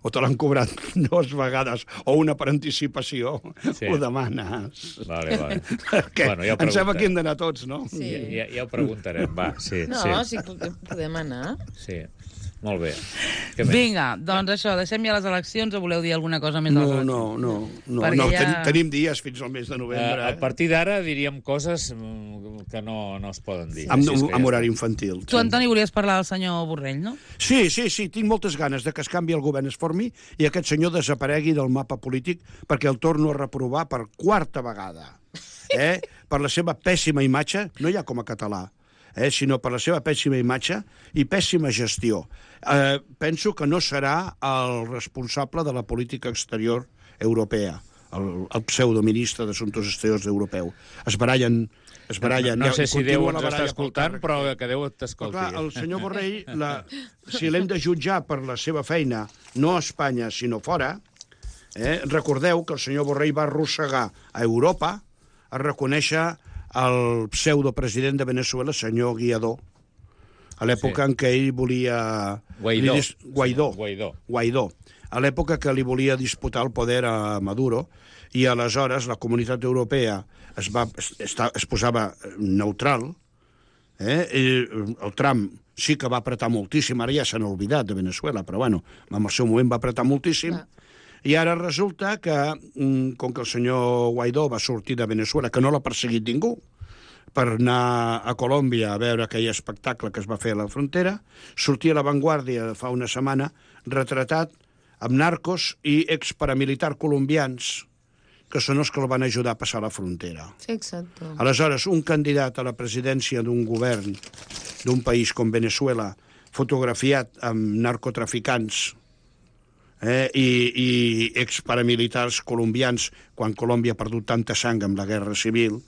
o te l'han cobrat dues vegades, o una per anticipació, Sí. ho demanes. Vale, vale. Perquè Bueno, ja ho em sembla preguntaré. que hem d'anar tots, no? Sí. Ja, ja, ja ho preguntarem, va, sí, No, sí. sí, podem, podem anar. Sí, molt bé. Què més? Vinga, doncs això, deixem ja les eleccions o voleu dir alguna cosa més de les No, eleccions? no, no. no, Perquè no ja- ten, tenim dies fins al mes de Eh, novembre. a partir d'ara diríem coses mm, que no, no es poden dir. Amb, Així és que ja amb està. horari infantil. Tu, Antoni, volies parlar del senyor Borrell, no? Sí, sí, sí, tinc moltes ganes de que es canvi el govern, es formi, i aquest senyor desaparegui del mapa polític perquè el torno a reprovar per quarta vegada. Eh? Per la seva pèssima imatge, no ja com a català, eh? sinó per la seva pèssima imatge i pèssima gestió. Eh, penso que no serà el responsable de la política exterior europea, el, el pseudoministre d'Assumptes Exteriors europeu. Es barallen... Es barallen, No, no sé i si continua Déu la ens està baralla pel escoltant, càrrec. però que Déu Però t'escolti. clar, el senyor Borrell, la, si l'hem de jutjar per la seva feina, no a Espanya, sinó fora, eh, recordeu que el senyor Borrell va arrossegar a Europa a reconèixer el pseudopresident de Venezuela, senyor Guaidó, a l'època Sí. en què ell volia... Guaidó. li dis- Guaidó. Guaidó. Guaidó. A l'època que li volia disputar el poder a Maduro, i aleshores la comunitat europea es, va, es, es, es posava neutral, eh? I el Trump sí que va apretar moltíssim, ara ja s'han oblidat de Venezuela, però bueno, en el seu moment va apretar moltíssim, i ara resulta que, mm, com que el senyor Guaidó va sortir de Venezuela, que no l'ha perseguit ningú, per anar a Colòmbia a veure aquell espectacle que es va fer a la frontera, sortia a La Vanguardia fa una setmana retratat amb narcos i exparamilitar colombians, que són els que el van ajudar a passar la frontera. Sí, exacte. Aleshores, un candidat a la presidència d'un govern d'un país com Venezuela, fotografiat amb narcotraficants eh, i, i exparamilitars colombians, quan Colòmbia ha perdut tanta sang amb la guerra civil,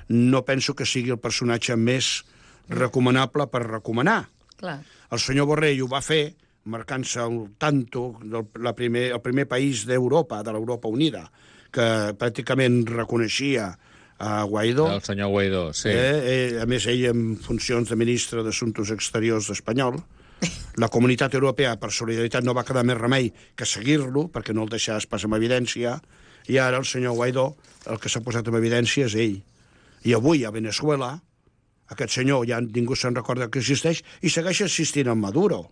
no penso que sigui el personatge més recomanable per recomanar. Clar. El senyor Borrell ho va fer, marcant-se el tanto del la primer, el primer país d'Europa, de l'Europa Unida, que pràcticament reconeixia a Guaidó. El senyor Guaidó, sí. Eh, eh, a més, ell en funcions de ministre d'Assumptes Exteriors espanyol. La Comunitat Europea, per solidaritat, no va quedar més remei que seguir-lo, perquè no el deixaves pas en evidència, i ara el senyor Guaidó, el que s'ha posat en evidència és ell. I avui, a Venezuela, aquest senyor ja ningú se'n recorda que existeix i segueix assistint amb Maduro.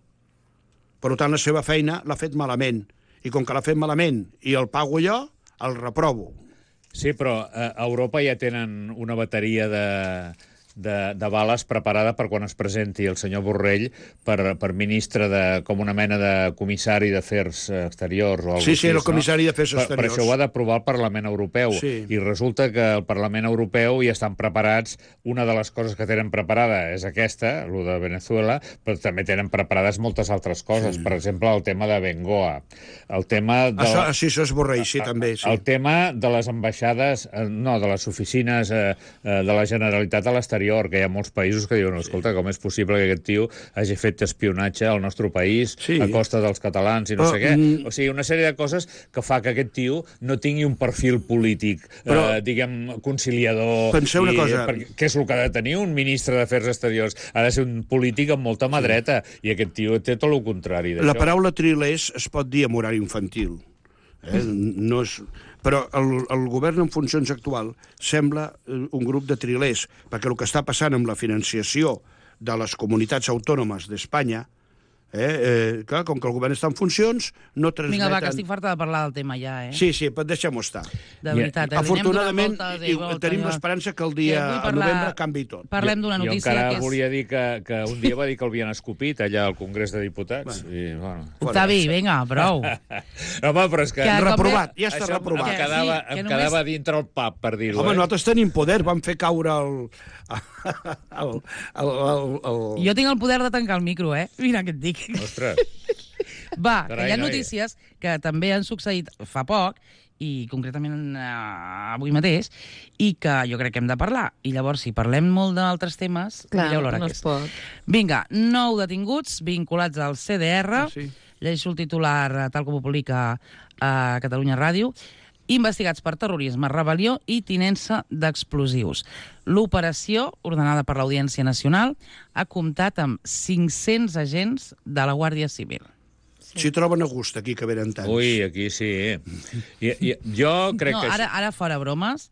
Per tant, la seva feina l'ha fet malament. I com que l'ha fet malament i el pago jo, el reprovo. Sí, però a Europa ja tenen una bateria de, de, de bales preparada per quan es presenti el senyor Borrell per, per ministre de, com una mena de comissari d'afers exteriors o alguna Sí, sí, així, el comissari d'afers no? exteriors. Per, per això ho ha d'aprovar el Parlament Europeu. Sí. I resulta que el Parlament Europeu ja estan preparats. Una de les coses que tenen preparada és aquesta, el de Venezuela, però també tenen preparades moltes altres coses. Sí. Per exemple, el tema de Bengoa. El tema de... Això, sí, això és Borrell, sí, també. Sí. El tema de les ambaixades, no, de les oficines eh, de la Generalitat a l'exterior, que hi ha molts països que diuen, escolta, com és possible que aquest tio hagi fet espionatge al nostre país Sí. a costa dels catalans i no Però, sé què. mm, O sigui, una sèrie de coses que fa que aquest tio no tingui un perfil polític, Però- eh, diguem, conciliador. Penseu una i, cosa. Perquè, què és el que ha de tenir un ministre d'Afers Exteriors? Ha de ser un polític amb molta mà dreta, i aquest tio té tot el contrari d'això. La paraula trilers es pot dir amb horari infantil. Eh? No és... Però el, el govern en funcions actual sembla eh, un grup de trilers, perquè el que està passant amb la financiació de les comunitats autònomes d'Espanya, eh, eh, clar, com que el govern està en funcions, no transmeten... Vinga, va, que estic farta de parlar del tema ja, eh? Sí, sí, però deixem-ho estar. De veritat, eh? Afortunadament, Anem donant voltes i, i voltes, tenim ja. l'esperança que el Que dia vull a parlar- novembre canvi tot. Parlem d'una Jo notícia encara que és... volia dir que, que un dia va dir que el havien escopit allà al Congrés de Diputats. Bueno. I, bueno. Octavi, vinga, prou. Home, però és que... Que- Reprovat, ja està Això reprovat. Em quedava, Sí, que em només- quedava dintre el pub, per dir-ho. Home, eh? nosaltres tenim poder, vam fer caure el... el, el, el, el... Jo tinc el poder de tancar el micro, eh? Mira què et dic. Ostres. Va, Carai, que hi ha noi. notícies que també han succeït fa poc, i concretament eh, avui mateix, i que jo crec que hem de parlar. I llavors, si parlem molt d'altres temes, Clar, mireu l'hora no que es és. pot. Vinga, nou detinguts vinculats al C D R. Ah, sí? Llegeixo el titular, eh, tal com ho publica a Catalunya Ràdio. Investigats per terrorisme, rebel·lió i tinença d'explosius. L'operació, ordenada per l'Audiència Nacional, ha comptat amb cinc-cents agents de la Guàrdia Civil. S'hi troben a gust, aquí, que venen tants. Ui, aquí sí. I, i, jo crec no, que... ara, ara fora bromes,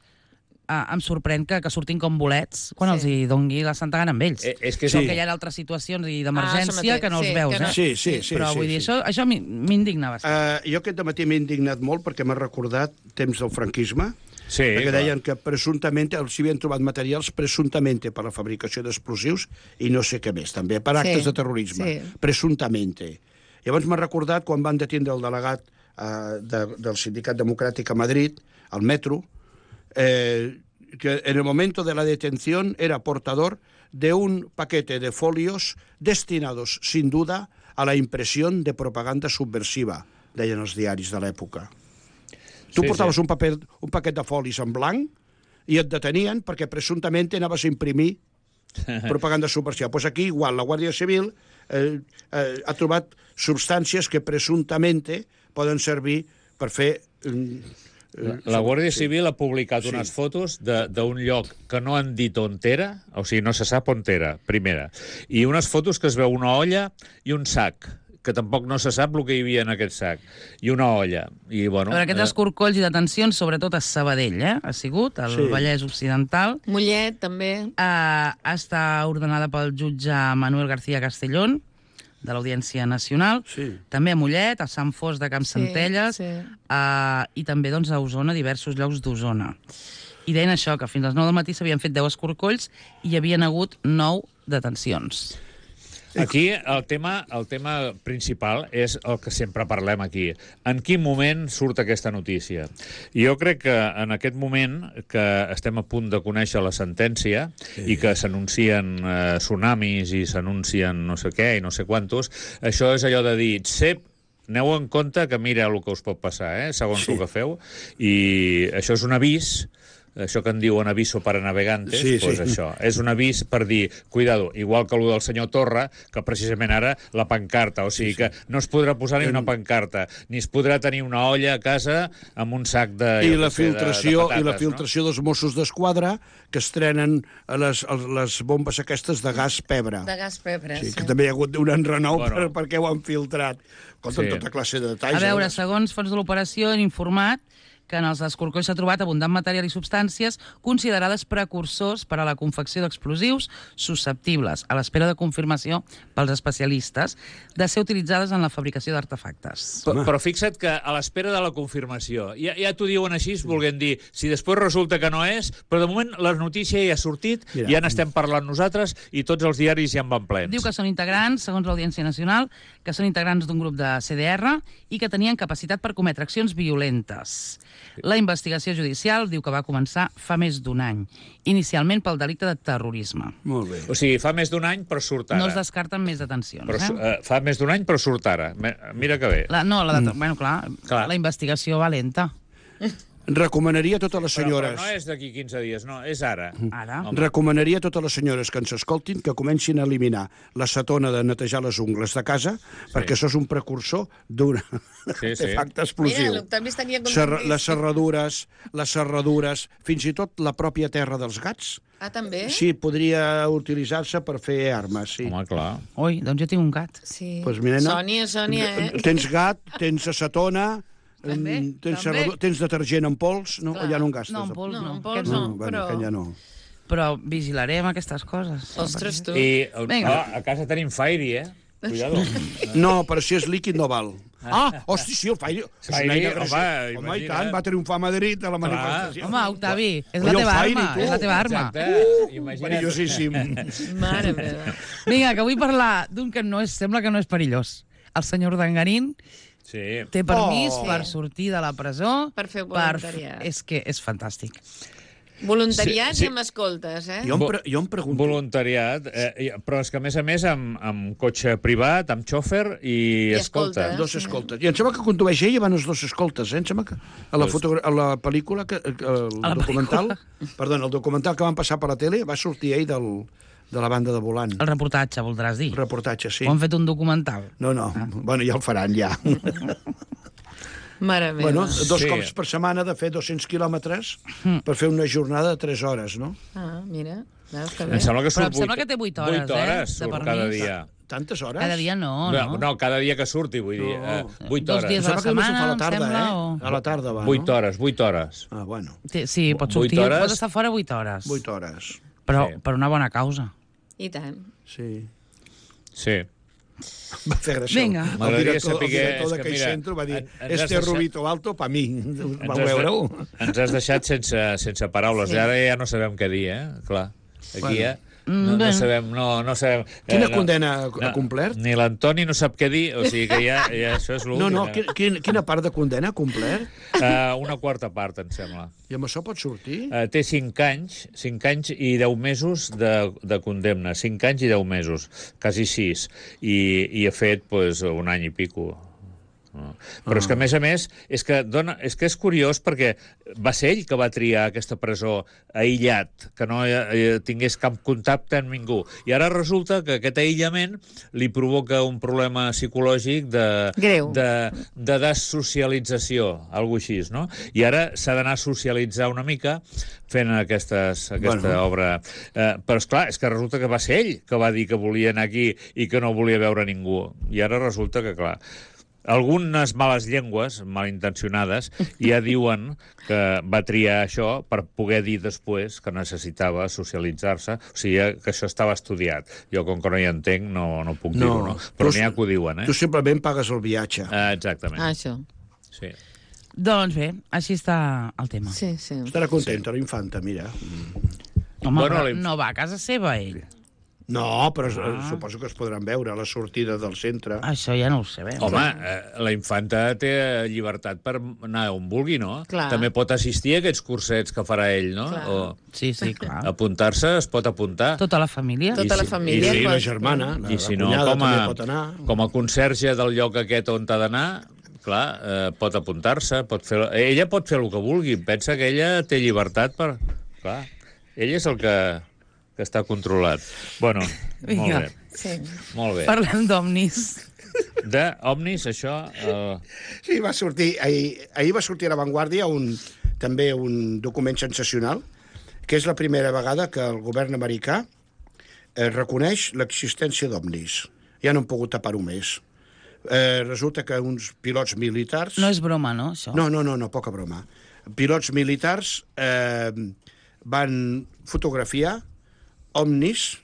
eh, em sorprèn que, que surtin com bolets quan Sí. els hi dongui la santa gana amb ells. Eh, és que Sí. sí. Que hi ha altres situacions i Ah, això d'emergència mateix, que no els sí, veus, que no- eh? Sí, sí, sí. Però sí, vull dir, sí. això, això mi- m'indigna bastant. Uh, jo aquest matí m'he indignat molt perquè m'ha recordat temps del franquisme, Sí, perquè clar. deien que presumptament els havien trobat materials presumptament per la fabricació d'explosius i no sé què més, també, per actes Sí, de terrorisme. sí. Presumptament. Llavors m'ha recordat quan van detindre el delegat uh, de, del Sindicat Democràtic a Madrid, al metro, eh, que en el momento de la detención era portador de un paquete de folios destinados, sin duda, a la impresión de propaganda subversiva, deien els diaris de l'època. Tu Sí, portaves sí. un, paper, un paquet de folis en blanc i et detenien perquè presumptament anaves a imprimir propaganda subversiva. Doncs pues aquí, igual, la Guàrdia Civil eh, eh, ha trobat substàncies que presumptament poden servir per fer... Eh, La, la Guàrdia sí. Civil ha publicat Sí. unes fotos de- d'un lloc que no han dit on era, o sigui, no se sap on era, primera. I unes fotos que es veu una olla i un sac, que tampoc no se sap el que hi havia en aquest sac. I una olla. I, bueno, Però aquests escorcolls i detencions, sobretot a Sabadell, eh? Ha sigut, al Sí. Vallès Occidental. Mollet, també. Eh, està ordenada pel jutge Manuel García Castellón, de l'Audiència Nacional, Sí. també a Mollet, a Sant Fos de Camp Sí, Centelles, sí. eh, i també doncs, a Osona, diversos llocs d'Osona. i deien això, que fins a les nou del matí s'havien fet deu escorcolls i hi havien hagut nou detencions. Aquí el tema, el tema principal és el que sempre parlem aquí. En quin moment surt aquesta notícia? Jo crec que en aquest moment que estem a punt de conèixer la sentència sí. i que s'anuncien eh, tsunamis i s'anuncien no sé què i no sé quantos, això és allò de dir, sep, aneu en compte que mira el que us pot passar, eh, segons sí. el que feu, i això és un avís, això que en diuen aviso para navegantes, sí, pues sí. això, és un avís per dir, cuidado, igual que el del senyor Torra, que precisament ara la pancarta, o sigui sí, sí. que no es podrà posar ni una pancarta, ni es podrà tenir una olla a casa amb un sac de... I la sé, filtració, de, de patates, i la filtració no? dels Mossos d'Esquadra, que estrenen les, les bombes aquestes de gas pebre. De gas pebre, sí. sí. Que també hi ha hagut un enrenou bueno. per, perquè ho han filtrat. Compte, sí. tota classe de detalls. A veure, eh? segons fons de l'operació, han informat que en els escorcolls s'ha trobat abundant material i substàncies considerades precursors per a la confecció d'explosius susceptibles, a l'espera de confirmació pels especialistes, de ser utilitzades en la fabricació d'artefactes. Però, però fixa't que a l'espera de la confirmació, ja, ja t'ho diuen així, volguem dir, si després resulta que no és, però de moment la notícia ja ha sortit, Mira. ja n'estem parlant nosaltres i tots els diaris ja en van plens. Diu que són integrants, segons l'Audiència Nacional, que són integrants d'un grup de C D R i que tenien capacitat per cometre accions violentes. La investigació judicial diu que va començar fa més d'un any, inicialment pel delicte de terrorisme. Molt bé. O sigui, fa més d'un any, però surt ara. No es descarten més detencions. Però, eh? uh, fa més d'un any, però surt ara. Mira que bé. La, no, la de, mm. bueno, clar, clar, la investigació va lenta. Recomanaria a totes les senyores... Però, però no és d'aquí quinze dies, no, és ara. Ara? Home. Recomanaria a totes les senyores que ens escoltin que comencin a eliminar l'acetona de netejar les ungles de casa, sí. perquè això és un precursor d'un sí, artefacte sí. explosiu. Mira, l'Octavi estaria Serra, les serradures, les serradures, fins i tot la pròpia terra dels gats. Ah, també? Sí, podria utilitzar-se per fer armes, sí. Home, clar. Ui, doncs jo tinc un gat. Sí. Pues mira, no? Sònia, Sònia, eh? Tens gat, tens acetona... També, tens, també. tens detergent en pols? No, Clar. ja no en gastes. No, en pols no. No, en no. pols No, no, bueno, però... que ja no. Però vigilarem aquestes coses. Ostres, tu. I Vinga. oh, a casa tenim Fairy, eh? Cuidado. No, però si és líquid no val. Ah, hosti, sí, el Fairy. És Fairy, una eina home, agressiva. Home, i tant, va triomfar a Madrid a la manifestació. Home, Octavi, és Oi, la el teva Fairy, arma. tu. És la teva arma. Exacte. Imagina't. Perillosíssim. Mare meva. Vinga, que vull parlar d'un que no és, sembla que no és perillós. El senyor Dangarín Sí. té permís Oh. per sortir de la presó. Per fer voluntariat. Per... És que és fantàstic. Voluntariat Sí, sí. i amb escoltes, eh? Jo em, pre jo em pregunto... Voluntariat, eh, però és que a més a més amb, amb cotxe privat, amb xòfer i, I escolta. escolta. Dos escoltes. I em sembla que condueix ell i van els dos escoltes, eh? Em sembla que a la, fotogra a la pel·lícula, que, el A la documental, pel·lícula. perdona, el documental que van passar per la tele va sortir ell del, de la banda de volant. El reportatge, voldràs dir. El reportatge, sí. O han fet un documental? No, no, ah. bueno, ja el faran, ja. Mare meva. Bueno, dos Sí. cops per setmana de fer dos-cents quilòmetres per fer una jornada de tres hores, no? Ah, mira. Veus que Em bé. sembla que Però surt em sembla vuit- que té vuit hores, vuit hores eh, de surt permís. cada dia. Tantes hores? Cada dia no, No, no? no, cada dia que surti, vull dir. No. Eh, vuit Dos hores. dies Em sembla que només ho fa a la setmana, tarda, em sembla, eh? o- A la tarda va, Vuit no? hores, vuit hores. Ah, bueno, Té- Sí, pot Vuit sortir, hores? pot estar fora vuit hores. vuit hores. Però Sí. per una bona causa. I tant. Sí. Sí. Va fer gràcia. Vinga. El M'agradaria director, el saber director és que, d'aquell mira, centre va dir en- ens has este deixat- rubito alto pa mi. Vau has veure-ho? de- Ens has deixat sense, sense paraules. Sí. I ara ja no sabem què dir, eh? Clar. Aquí Bueno. ja... Mm, No, no bueno. sabem, no, no sabem... Quina eh, no, condena ha complert? Ni l'Antoni no sap què dir, o sigui que ja, ja això és l'últim. No, no, quin, quin, quina part de condena ha complert? Uh, una quarta part, em sembla. I amb això pot sortir? Uh, té cinc anys, cinc anys i deu mesos de, de condemna. Cinc anys i deu mesos, quasi sis. I, i ha fet pues, un any i pico. No. Però és que, a més a més, és que, dona, és que és curiós perquè va ser ell que va triar aquesta presó aïllat, que no eh, tingués cap contacte amb ningú. I ara resulta que aquest aïllament li provoca un problema psicològic de, Greu. de, de dessocialització, alguna així, no? I ara s'ha d'anar a socialitzar una mica fent aquestes, aquesta Bueno. obra. Eh, però, esclar, és que resulta que va ser ell que va dir que volia anar aquí i que no volia veure ningú. I ara resulta que, clar, algunes males llengües, malintencionades, ja diuen que va triar això per poder dir després que necessitava socialitzar-se. O sigui, que això estava estudiat. Jo, com que no hi entenc, no, no puc No. dir-ho, no? Però Tu- n'hi ha que ho diuen, eh? Tu simplement pagues el viatge. Eh, exactament. Ah, això. Sí. Doncs bé, així està el tema. Sí, sí. Estarà contenta, la infanta, mira. Home, Bueno, però la inf- no va a casa seva, ell. No, però Ah. ah. suposo que es podran veure a la sortida del centre. Això ja no ho sabem. Home, eh, la infanta té llibertat per anar on vulgui, no? Clar. També pot assistir a aquests cursets que farà ell, no? Clar. O Sí, sí, clar. apuntar-se, es pot apuntar. Tota la família. Tota I la si- família. I sí, pot- la germana, la, I si la no, cunyada com a, també pot anar. com a conserge del lloc aquest on ha d'anar, clar, eh, pot apuntar-se, pot fer... Ella pot fer el que vulgui, pensa que ella té llibertat per... Clar, ell és el que, que està controlat. Bueno, Vinga. molt bé. Sí. Molt bé. Parlem d'omnis. De Omnis, això... Eh, Sí, va sortir, ahir, ahir va sortir a La Vanguardia un, també un document sensacional, que és la primera vegada que el govern americà eh, reconeix l'existència d'ovnis. Ja no han pogut tapar-ho més. Eh, resulta que uns pilots militars... No és broma, no, això? No, no, no, no, poca broma. Pilots militars eh, van fotografiar ovnis,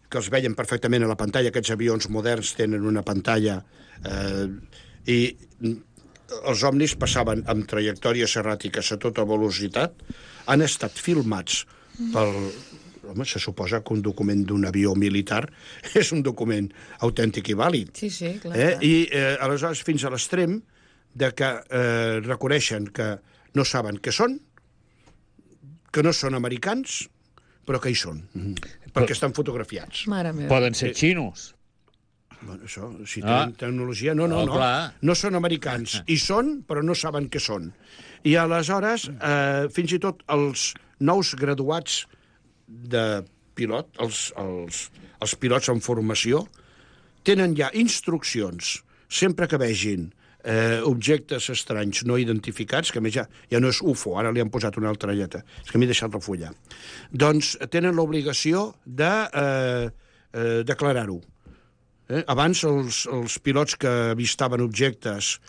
que els veien perfectament a la pantalla. Aquests avions moderns tenen una pantalla eh, i els ovnis passaven amb trajectòries erràtiques a tota velocitat, han estat filmats pel... Home, se suposa que un document d'un avió militar és un document autèntic i vàlid. Sí, sí, clar. Eh? clar. I eh, aleshores fins a l'extrem de que eh, reconeixen que no saben què són, que no són americans, però que hi són, mm -hmm. perquè estan fotografiats. Mare meva. poden ser xinos. Bueno, això, si Ah. tenen tecnologia... No, no, Oh, no. clar. No són americans. Hi són, però no saben què són. I aleshores, eh, fins i tot els nous graduats de pilot, els, els, els pilots en formació, tenen ja instruccions, sempre que vegin eh, objectes estranys no identificats, que a més ja, ja no és U F O, ara li han posat una altra lletra, és que m'he deixat la fulla, doncs tenen l'obligació de eh, eh, declarar-ho. Eh? Abans els, els pilots que avistaven objectes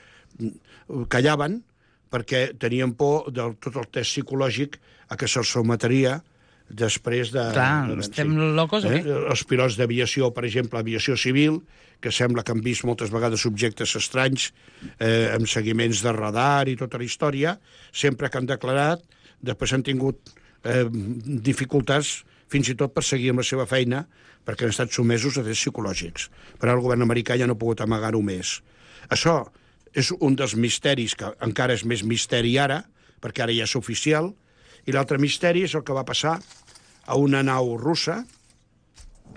callaven perquè tenien por de tot el test psicològic a què se'ls sometria després de... Clar, de- estem locos o eh? què? Els pilots d'aviació, per exemple, aviació civil, que sembla que han vist moltes vegades objectes estranys eh, amb seguiments de radar i tota la història, sempre que han declarat, després han tingut eh, dificultats fins i tot per seguir amb la seva feina, perquè han estat somesos a tests psicològics. Però el govern americà ja no ha pogut amagar-ho més. Això és un dels misteris, que encara és més misteri ara, perquè ara ja és oficial, i l'altre misteri és el que va passar a una nau russa,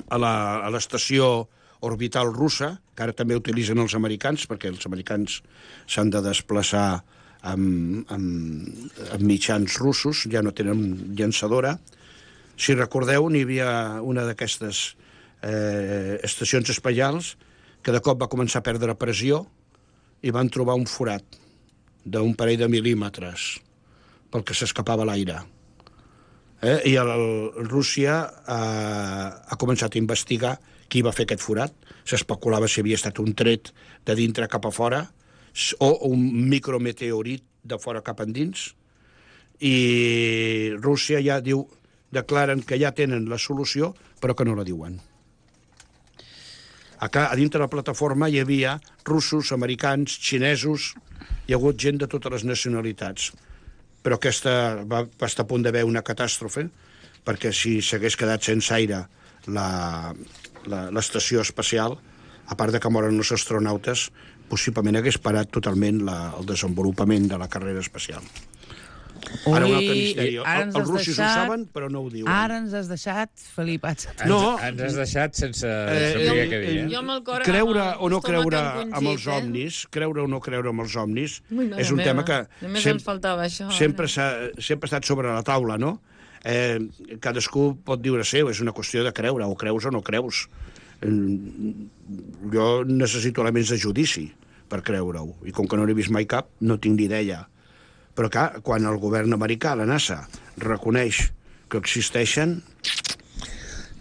a la- a l'estació orbital russa, que ara també utilitzen els americans, perquè els americans s'han de desplaçar amb, amb, amb mitjans russos, ja no tenen llançadora. Si recordeu, n'hi havia una d'aquestes eh, estacions espacials que de cop va començar a perdre pressió i van trobar un forat d'un parell de mil·límetres pel que s'escapava l'aire. Eh? I el, el, Rússia eh, ha començat a investigar qui va fer aquest forat. S'especulava si havia estat un tret de dintre cap a fora o un micrometeorit de fora cap endins. I Rússia ja diu, declaren que ja tenen la solució, però que no la diuen. Acá, a dintre de la plataforma hi havia russos, americans, xinesos, hi ha hagut gent de totes les nacionalitats. Però aquesta va, va estar a punt d'haver una catàstrofe, perquè si s'hagués quedat sense aire la- la- l'estació espacial, a part de que moren els astronautes, possiblement hagués parat totalment la, el desenvolupament de la carrera espacial. Ara un altre misteri. ara ens Els has russos ho deixat- saben, però no ho diuen. Ara ens has deixat, Felip Atza. Ens, No. ens has deixat sense Eh, saber eh, què dir. eh, Eh? Jo amb el cor... creure amb el o no estómac creure encongit, amb els eh? ovnis, creure o no creure amb els ovnis, Ui, mare és un meva. tema que Només sem- ens faltava això, sempre ara. s'ha sempre ha estat sobre la taula, no? Eh, cadascú pot dir-ho seu, és una qüestió de creure, o creus o no creus. Eh, jo necessito elements de judici per creure-ho, i com que no n'he vist mai cap, no tinc ni idea. Però clar, quan el govern americà, la NASA, reconeix que existeixen,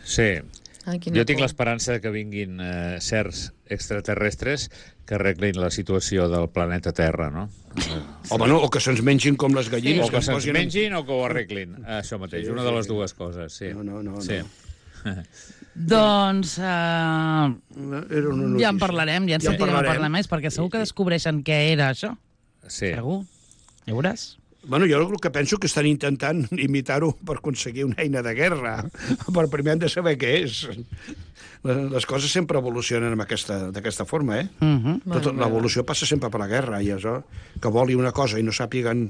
Sí. Ai, quina Jo tinc por. l'esperança de que vinguin eh, certs extraterrestres que arreglin la situació del planeta Terra, no? o, bueno, o que se'ns mengin com les gallines. O que ens se'ns posin en- mengin o que ho arreglin. Això mateix, Sí, una sí, de les sí. dues coses, sí. No, no, no, Sí. Doncs uh, Era una ja en notícia. parlarem, ja en Ja en sentirem a parlarem. parlar més, perquè segur que descobreixen què era això. Sí. Segur. Ja veuràs. Bueno, jo el que penso que estan intentant imitar-ho per aconseguir una eina de guerra. Per primer hem de saber què és. Les coses sempre evolucionen d'aquesta forma, eh? Uh -huh. Tota l'evolució passa sempre per la guerra, i això, que voli una cosa i no sàpiguen...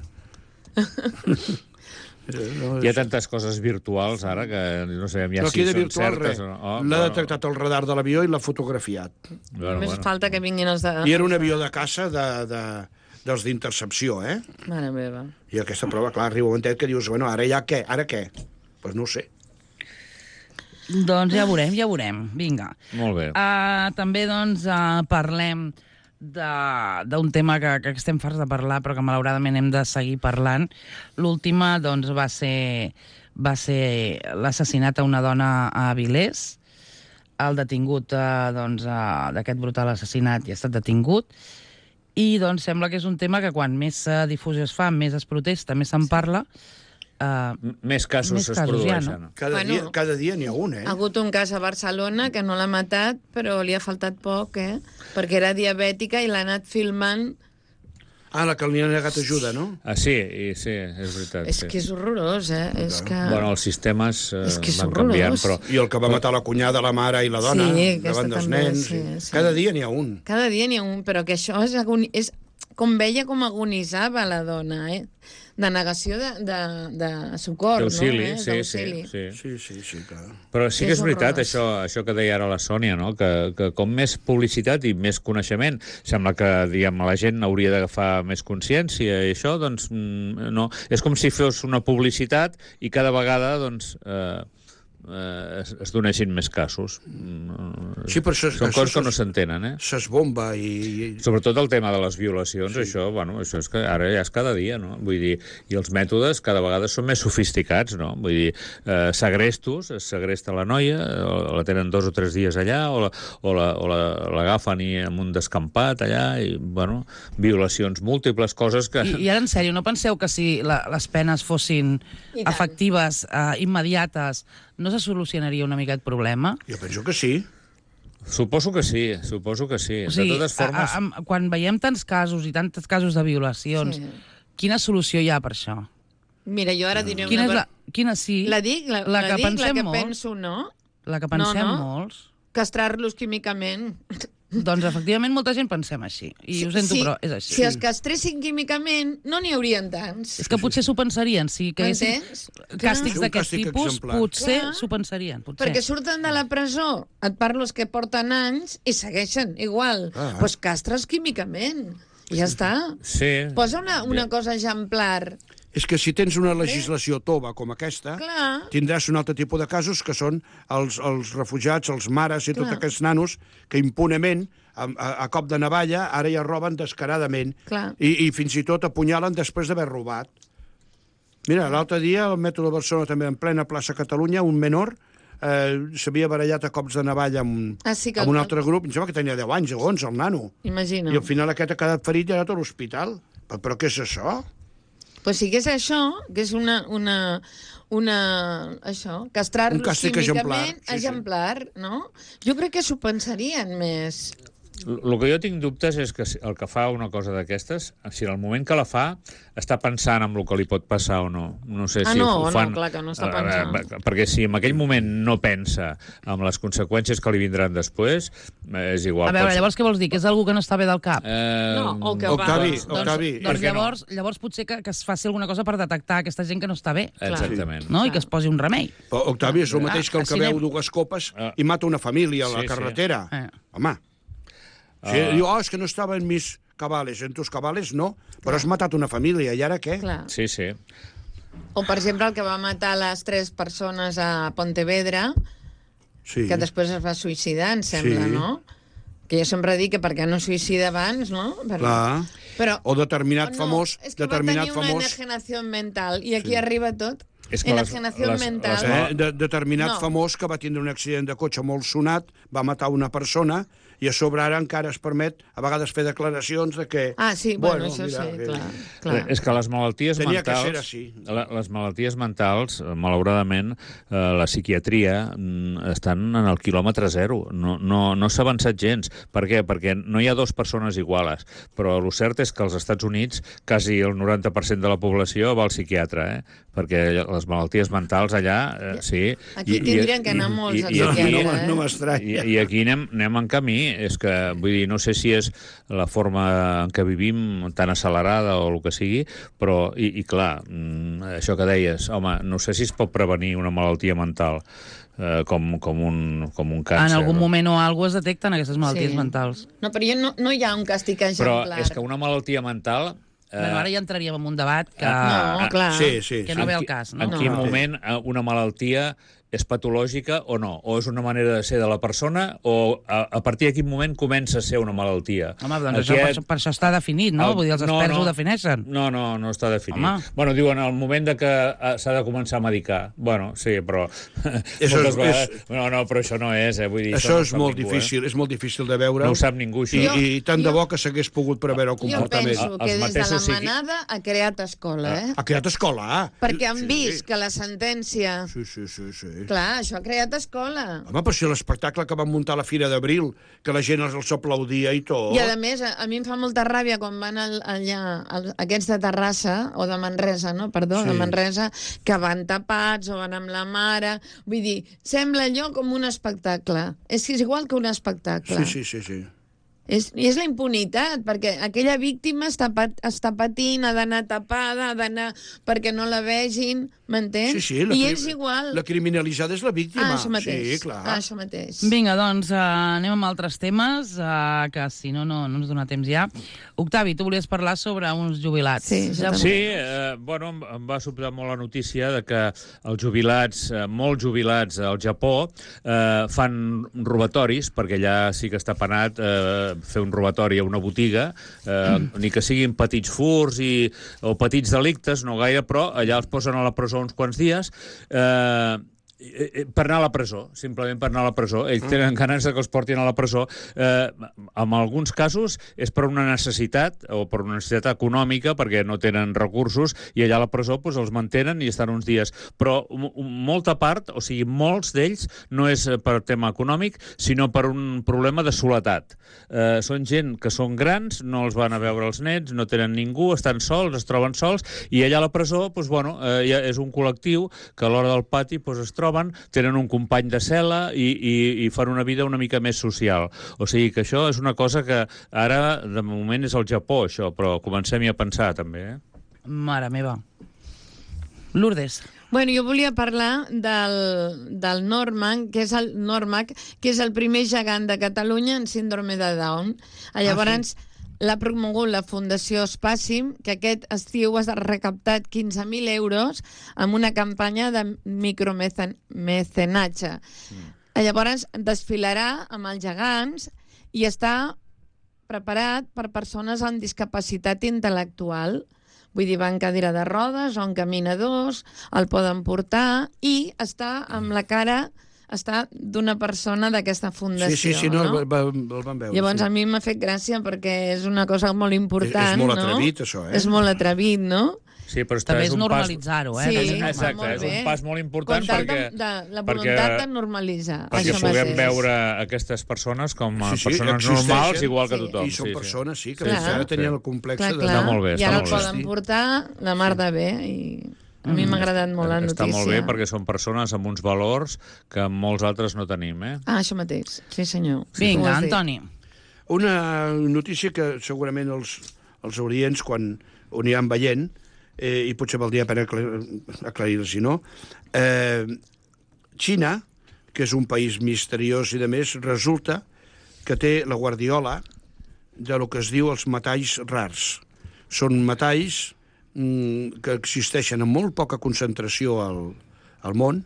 Hi ha tantes coses virtuals ara que no sabem ja Però si aquí de són virtual, certes res. o no. Oh, L'ha detectat el radar de l'avió i l'ha fotografiat. Bueno, Només bueno. falta que vinguin els de... I era un avió de caça de, de, dels d'intercepció, eh? Mare meva. I aquesta prova, clar, arriba un momentet que dius, bueno, ara ja què? Ara què? Doncs pues no ho sé. Doncs ja veurem, ja veurem. Vinga. Molt bé. Uh, també, doncs, uh, parlem d'un tema que, que estem farts de parlar, però que malauradament hem de seguir parlant. L'última, doncs, va ser, va ser l'assassinat a una dona a Avilés. El detingut, uh, doncs, uh, d'aquest brutal assassinat ja ha estat detingut. I, doncs, sembla que és un tema que quan més uh, difusió es fa, més es protesta, més se'n parla. Uh, Més casos més es casos produeixen. ja, no? Cada, Bueno. dia, cada dia n'hi ha un, eh? Ha hagut un cas a Barcelona que no l'ha matat, però li ha faltat poc, eh? Perquè era diabètica i l'ha anat filmant. Ah, la que li ha negat ajuda, no? Ah, sí, i, sí, és veritat. És sí. que és horrorós, eh? És que... Bueno, els sistemes eh, És que és van horrorós. canviant, però... I el que va matar la cunyada, la mare i la dona, Sí, aquesta davant dels també, nens. sí, i- sí. Cada dia n'hi ha un. Cada dia n'hi ha un, però que això és, agoni... és com veia com agonitzava la dona, eh? De negació de, de, de socor, D'auxili, no? Eh? sí, sí, D'auxili. sí. Sí, sí, sí, clar. Però sí que És és veritat, horrorós. això, això que deia ara la Sònia, no? que, que com més publicitat i més coneixement, sembla que diguem, la gent hauria d'agafar més consciència i això, doncs, mm, no. És com si fos una publicitat i cada vegada, doncs, eh, eh, es, es doneixin més casos. Mm, Sí, però això, Són això coses que no s'entenen, eh? s'esbomba i... i... Sobretot el tema de les violacions, sí. això, bueno, això és que ara ja és cada dia, no? Vull dir, i els mètodes cada vegada són més sofisticats, no? Vull dir, eh, segrestos, es segresta la noia, o la tenen dos o tres dies allà, o la, o la, o la, l'agafen i amb un descampat allà, i, bueno, violacions múltiples, coses que... I, I ara, en sèrio, no penseu que si la, les penes fossin I tant. efectives, eh, immediates, no se solucionaria una mica el problema? Jo penso que sí. Suposo que sí, suposo que sí. O sigui, de totes formes... a, a, quan veiem tants casos i tantos casos de violacions, Sí. quina solució hi ha per això? Mira, jo ara diré Quina és una... la, quina sí? La dic, la, la la, que dic, la pensem que molts. penso, no? La que pensem No, no. molts. Castrar-los químicament. Doncs, efectivament, molta gent pensem així. I ho sento, si, però és així. Si els castressin químicament, no n'hi haurien tants. És que potser s'ho pensarien. Si caiguessin M'entens? càstigs Un d'aquest càstig tipus, exemplar. potser Clar. s'ho pensarien. Potser. Perquè surten de la presó, et parlo els que porten anys, i segueixen igual. Doncs Ah. pues castres químicament. I ja està. Sí. Posa una, una cosa exemplar. És que si tens una legislació tova com aquesta, Clar. tindràs un altre tipus de casos que són els, els refugiats, els mares i tots Clar. aquests nanos que impunement, a, a, a cop de navalla, ara ja roben descaradament. Clar. I, I fins i tot apunyalen després d'haver robat. Mira, l'altre dia, al metro de Barcelona, també en plena plaça Catalunya, un menor eh, s'havia barallat a cops de navalla amb, Ah, sí que- amb un altre grup. Em sembla que tenia deu anys o onze, el nano. Imagina. I al final aquest ha quedat ferit i ha anat a l'hospital. Però, però què és això? Pues sí que és això, que és una... una una, això, castrar-los Un càstig químicament exemplar, sí, sí. exemplar, no? Jo crec que s'ho pensarien més. El que jo tinc dubtes és que si- el que fa una cosa d'aquestes, si en el moment que la fa està pensant en el que li pot passar o no. No sé Ah, si no, ho no, fan... clar que no està eh, pensant. eh, perquè si en aquell moment no pensa en les conseqüències que li vindran després, eh, és igual. A veure, pot ser- llavors què vols dir? Que és algú que no està bé del cap? Eh, No, o que Octavi, va... Octavi, doncs per què no? llavors, llavors potser que, que es faci alguna cosa per detectar aquesta gent que no està bé, Exactament. no? I que es posi un remei. Però, Octavi, és el mateix que el que així veu anem. dues copes Ah. i mata una família a la Sí, sí. carretera. Eh. Home. Sí, diu, oh, és que no estava en mis cabales. En tus cabales no, però has matat una família, i ara què? Clar. Sí, sí. O, per exemple, el que va matar les tres persones a Pontevedra, Sí. que després es va suïcidar, em sembla, Sí. no? Que jo sempre dic que per què no suïcida abans, no? Per... Clar. Però... O determinat o no, famós, és que determinat va tenir una famós... enajenació mental, i aquí arriba tot. És que les- Enajenació les- mental. les- Eh, de, determinat No. famós que va tindre un accident de cotxe molt sonat, va matar una persona I a sobre ara encara es permet a vegades fer declaracions de que... Ah, sí, bueno, bueno això mira, sí, que... clar, clar. És que les malalties Tenia que mentals... ser així. La, les malalties mentals, eh, malauradament, eh, la psiquiatria mm, estan en el quilòmetre zero. No, no, no s'ha avançat gens. Per què? Perquè no hi ha dues persones iguales. Però el cert és que als Estats Units quasi el noranta per cent de la població va al psiquiatre, eh? Perquè les malalties mentals allà, eh, sí... Aquí tindrien que anar molts al psiquiatre, no, eh? no m'estranya. I, I aquí anem, anem en camí. És que, vull dir, no sé si és la forma en què vivim tan accelerada o el que sigui, però, i, i clar, això que deies, home, no sé si es pot prevenir una malaltia mental eh, com, com, un, com un càncer. En algun no? moment o alguna cosa es detecten aquestes malalties Sí. mentals. No, però jo no, no hi ha un càstig Però exemplar. és que una malaltia mental... Eh, Bueno, ara ja entraríem en un debat que, No, clar. Sí, sí, que sí. no ve en al qui- cas. No? En No. quin moment eh, una malaltia és patològica o no? O és una manera de ser de la persona o a, a partir de quin moment comença a ser una malaltia? Home, doncs això, per, això, per això està definit, no? El- Vull dir, els no, experts no. ho defineixen. No, no, no està definit. Home. Bueno, diuen el moment de que eh, s'ha de començar a medicar. Bueno, sí, però... Això moltes és- vegades... és- No, no, però això no és, eh? Vull dir, Això no és sap molt ningú, difícil, és molt difícil de veure. Eh? No ho sap ningú, això. I, Jo- i tant de jo- bo que s'hagués pogut preveure el Jo comportament. penso Els que des de la mateixos psiqui- manada ha creat escola, eh? Ha creat escola, ah? Perquè han Sí. vist que la sentència... Sí, sí, sí, sí. Clar, això ha creat escola. Home, però si l'espectacle que van muntar a la Fira d'Abril, que la gent els aplaudia i tot... I a més, a, a mi em fa molta ràbia quan van al, allà, al, aquests de Terrassa, o de Manresa, no? Perdó, Sí. de Manresa, que van tapats o van amb la mare... Vull dir, sembla allò com un espectacle. És que és igual que un espectacle. Sí, sí, sí, sí. És, I és la impunitat, perquè aquella víctima està, pat, està patint, ha d'anar tapada, ha d'anar perquè no la vegin, m'entens? Sí, sí, la, I cri- ells igual. la criminalitzada és la víctima. Ah, això mateix. Sí, clar. Ah, això mateix. Vinga, doncs, uh, anem amb altres temes, uh, que si no, no, no ens dona temps ja. Octavi, tu volies parlar sobre uns jubilats. Sí, jo Ja- també. Sí, eh, bueno, em- em va sobtar molt la notícia de que els jubilats, eh, molts jubilats al Japó, eh, fan robatoris, perquè allà sí que està penat eh, fer un robatori a una botiga, eh, mm. ni que siguin petits furs i, o petits delictes, no gaire, però allà els posen a la presó uns quants dies, eh, per anar a la presó, simplement per anar a la presó. Ells tenen ganes de que els portin a la presó. Eh, en alguns casos és per una necessitat, o per una necessitat econòmica, perquè no tenen recursos, i allà a la presó doncs, els mantenen i estan uns dies. Però m- molta part, o sigui, molts d'ells, no és per tema econòmic, sinó per un problema de soledat. Eh, són gent que són grans, no els van a veure els nets, no tenen ningú, estan sols, es troben sols, i allà a la presó, doncs, bueno, eh, ja és un col·lectiu que a l'hora del pati doncs, es troben, tenen un company de cel·la i, i, i fan una vida una mica més social. O sigui que això és una cosa que ara, de moment, és el Japó, això, però comencem-hi a pensar, també. Eh? Mare meva. Lourdes. Bueno, jo volia parlar del, del Norman, que és el Normac, que és el primer gegant de Catalunya en síndrome de Down. Llavors, ah, sí. L'ha promogut la Fundació Spàsim, que aquest estiu ha recaptat quinze mil euros amb una campanya de micromecenatge. Mm. Llavors, desfilarà amb els gegants i està preparat per persones amb discapacitat intel·lectual. Vull dir, va en cadira de rodes o en caminadors, el poden portar i està amb la cara... està d'una persona d'aquesta fundació. Sí, sí, sí, no, no? El, va, el van veure. Llavors sí. a mi m'ha fet gràcia perquè és una cosa molt important, És, és molt no? atrevit, això, eh? És molt atrevit, no? Sí, però està, També és és un normalitzar-ho, eh? Sí, També és va normal. Exacte, molt és bé. un pas molt important Com tal perquè... de, de, la perquè- voluntat de normalitzar. Perquè això puguem mateix. veure aquestes persones com a Sí, sí, persones existeixen. normals, igual que Sí. tothom. I són sí, sí. persones, sí, que Clar. ara tenien el Sí. complex Clar, de... clar. Està molt bé, I està ara molt el bé. poden portar la mar de bé i a mi m'ha agradat molt la notícia. Està molt bé perquè són persones amb uns valors que molts altres no tenim, eh? Ah, això mateix. Sí, senyor. Vinga, Ho has dit. Antoni. Una notícia que segurament els, els audients, quan ho aniran veient, eh, i potser valdria la pena aclar- aclarir-los, si no, eh, Xina, que és un país misteriós i de més, resulta que té la guardiola de lo que es diu els metalls rars. Són metalls mm, que existeixen en molt poca concentració al, al món,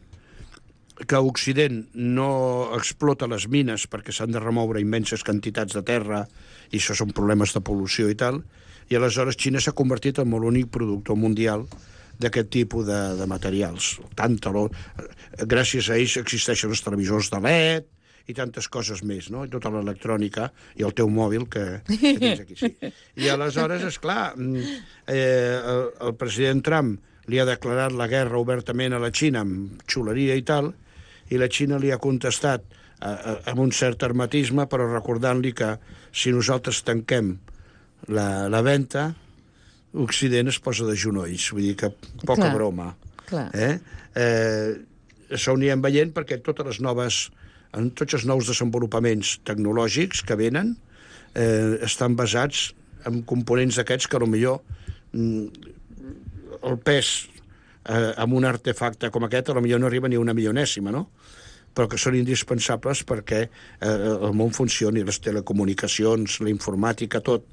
que Occident no explota les mines perquè s'han de remoure immenses quantitats de terra i això són problemes de pol·lució i tal, i aleshores Xina s'ha convertit en l'únic productor mundial d'aquest tipus de, de materials. Tant taló... Gràcies a ells existeixen els televisors de L E D i tantes coses més, no? I tota l'electrònica i el teu mòbil que, que tens aquí, sí. I aleshores, esclar, eh, el, el president Trump li ha declarat la guerra obertament a la Xina amb xuleria i tal, i la Xina li ha contestat eh, amb un cert hermetisme, però recordant-li que si nosaltres tanquem la, la venda, Occident es posa de genolls, vull dir que poca Clar. broma. Clar. Eh? Eh, això ho anirem veient perquè totes les noves, en tots els nous desenvolupaments tecnològics que venen eh, estan basats en components d'aquests que potser mm, el pes eh, amb un artefacte com aquest potser no arriba ni a una milionèsima, no? Però que són indispensables perquè eh, el món funcioni, les telecomunicacions, la informàtica, tot,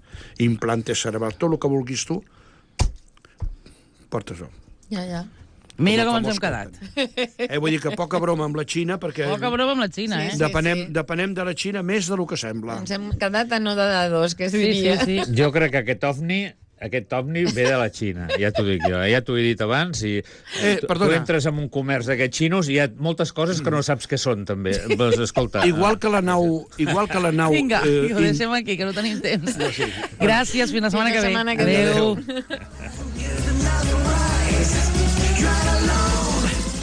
implantes cerebrals, tot el que vulguis tu, portes-ho. Ja, ja. Mira Com com el ens hem famós quedat. Eh, vull dir que poca broma amb la Xina, perquè Poca broma amb la Xina, Sí, eh? sí. depenem, depenem de la Xina més del que sembla. Ens hem quedat a no de dos, que es Sí, sí, diria. sí. Jo crec que aquest ovni aquest ovni ve de la Xina, ja t'ho dic jo, ja t'ho he dit abans, i Eh, tu, tu perdona. entres en un comerç d'aquests xinos i hi ha moltes coses que no saps què són, també. Pues, escolta, Igual que la nau... Igual que la nau Vinga, eh, ho in- deixem aquí, que no tenim temps. Gràcies, fins la setmana Fins la que ve. setmana que ve. Adéu.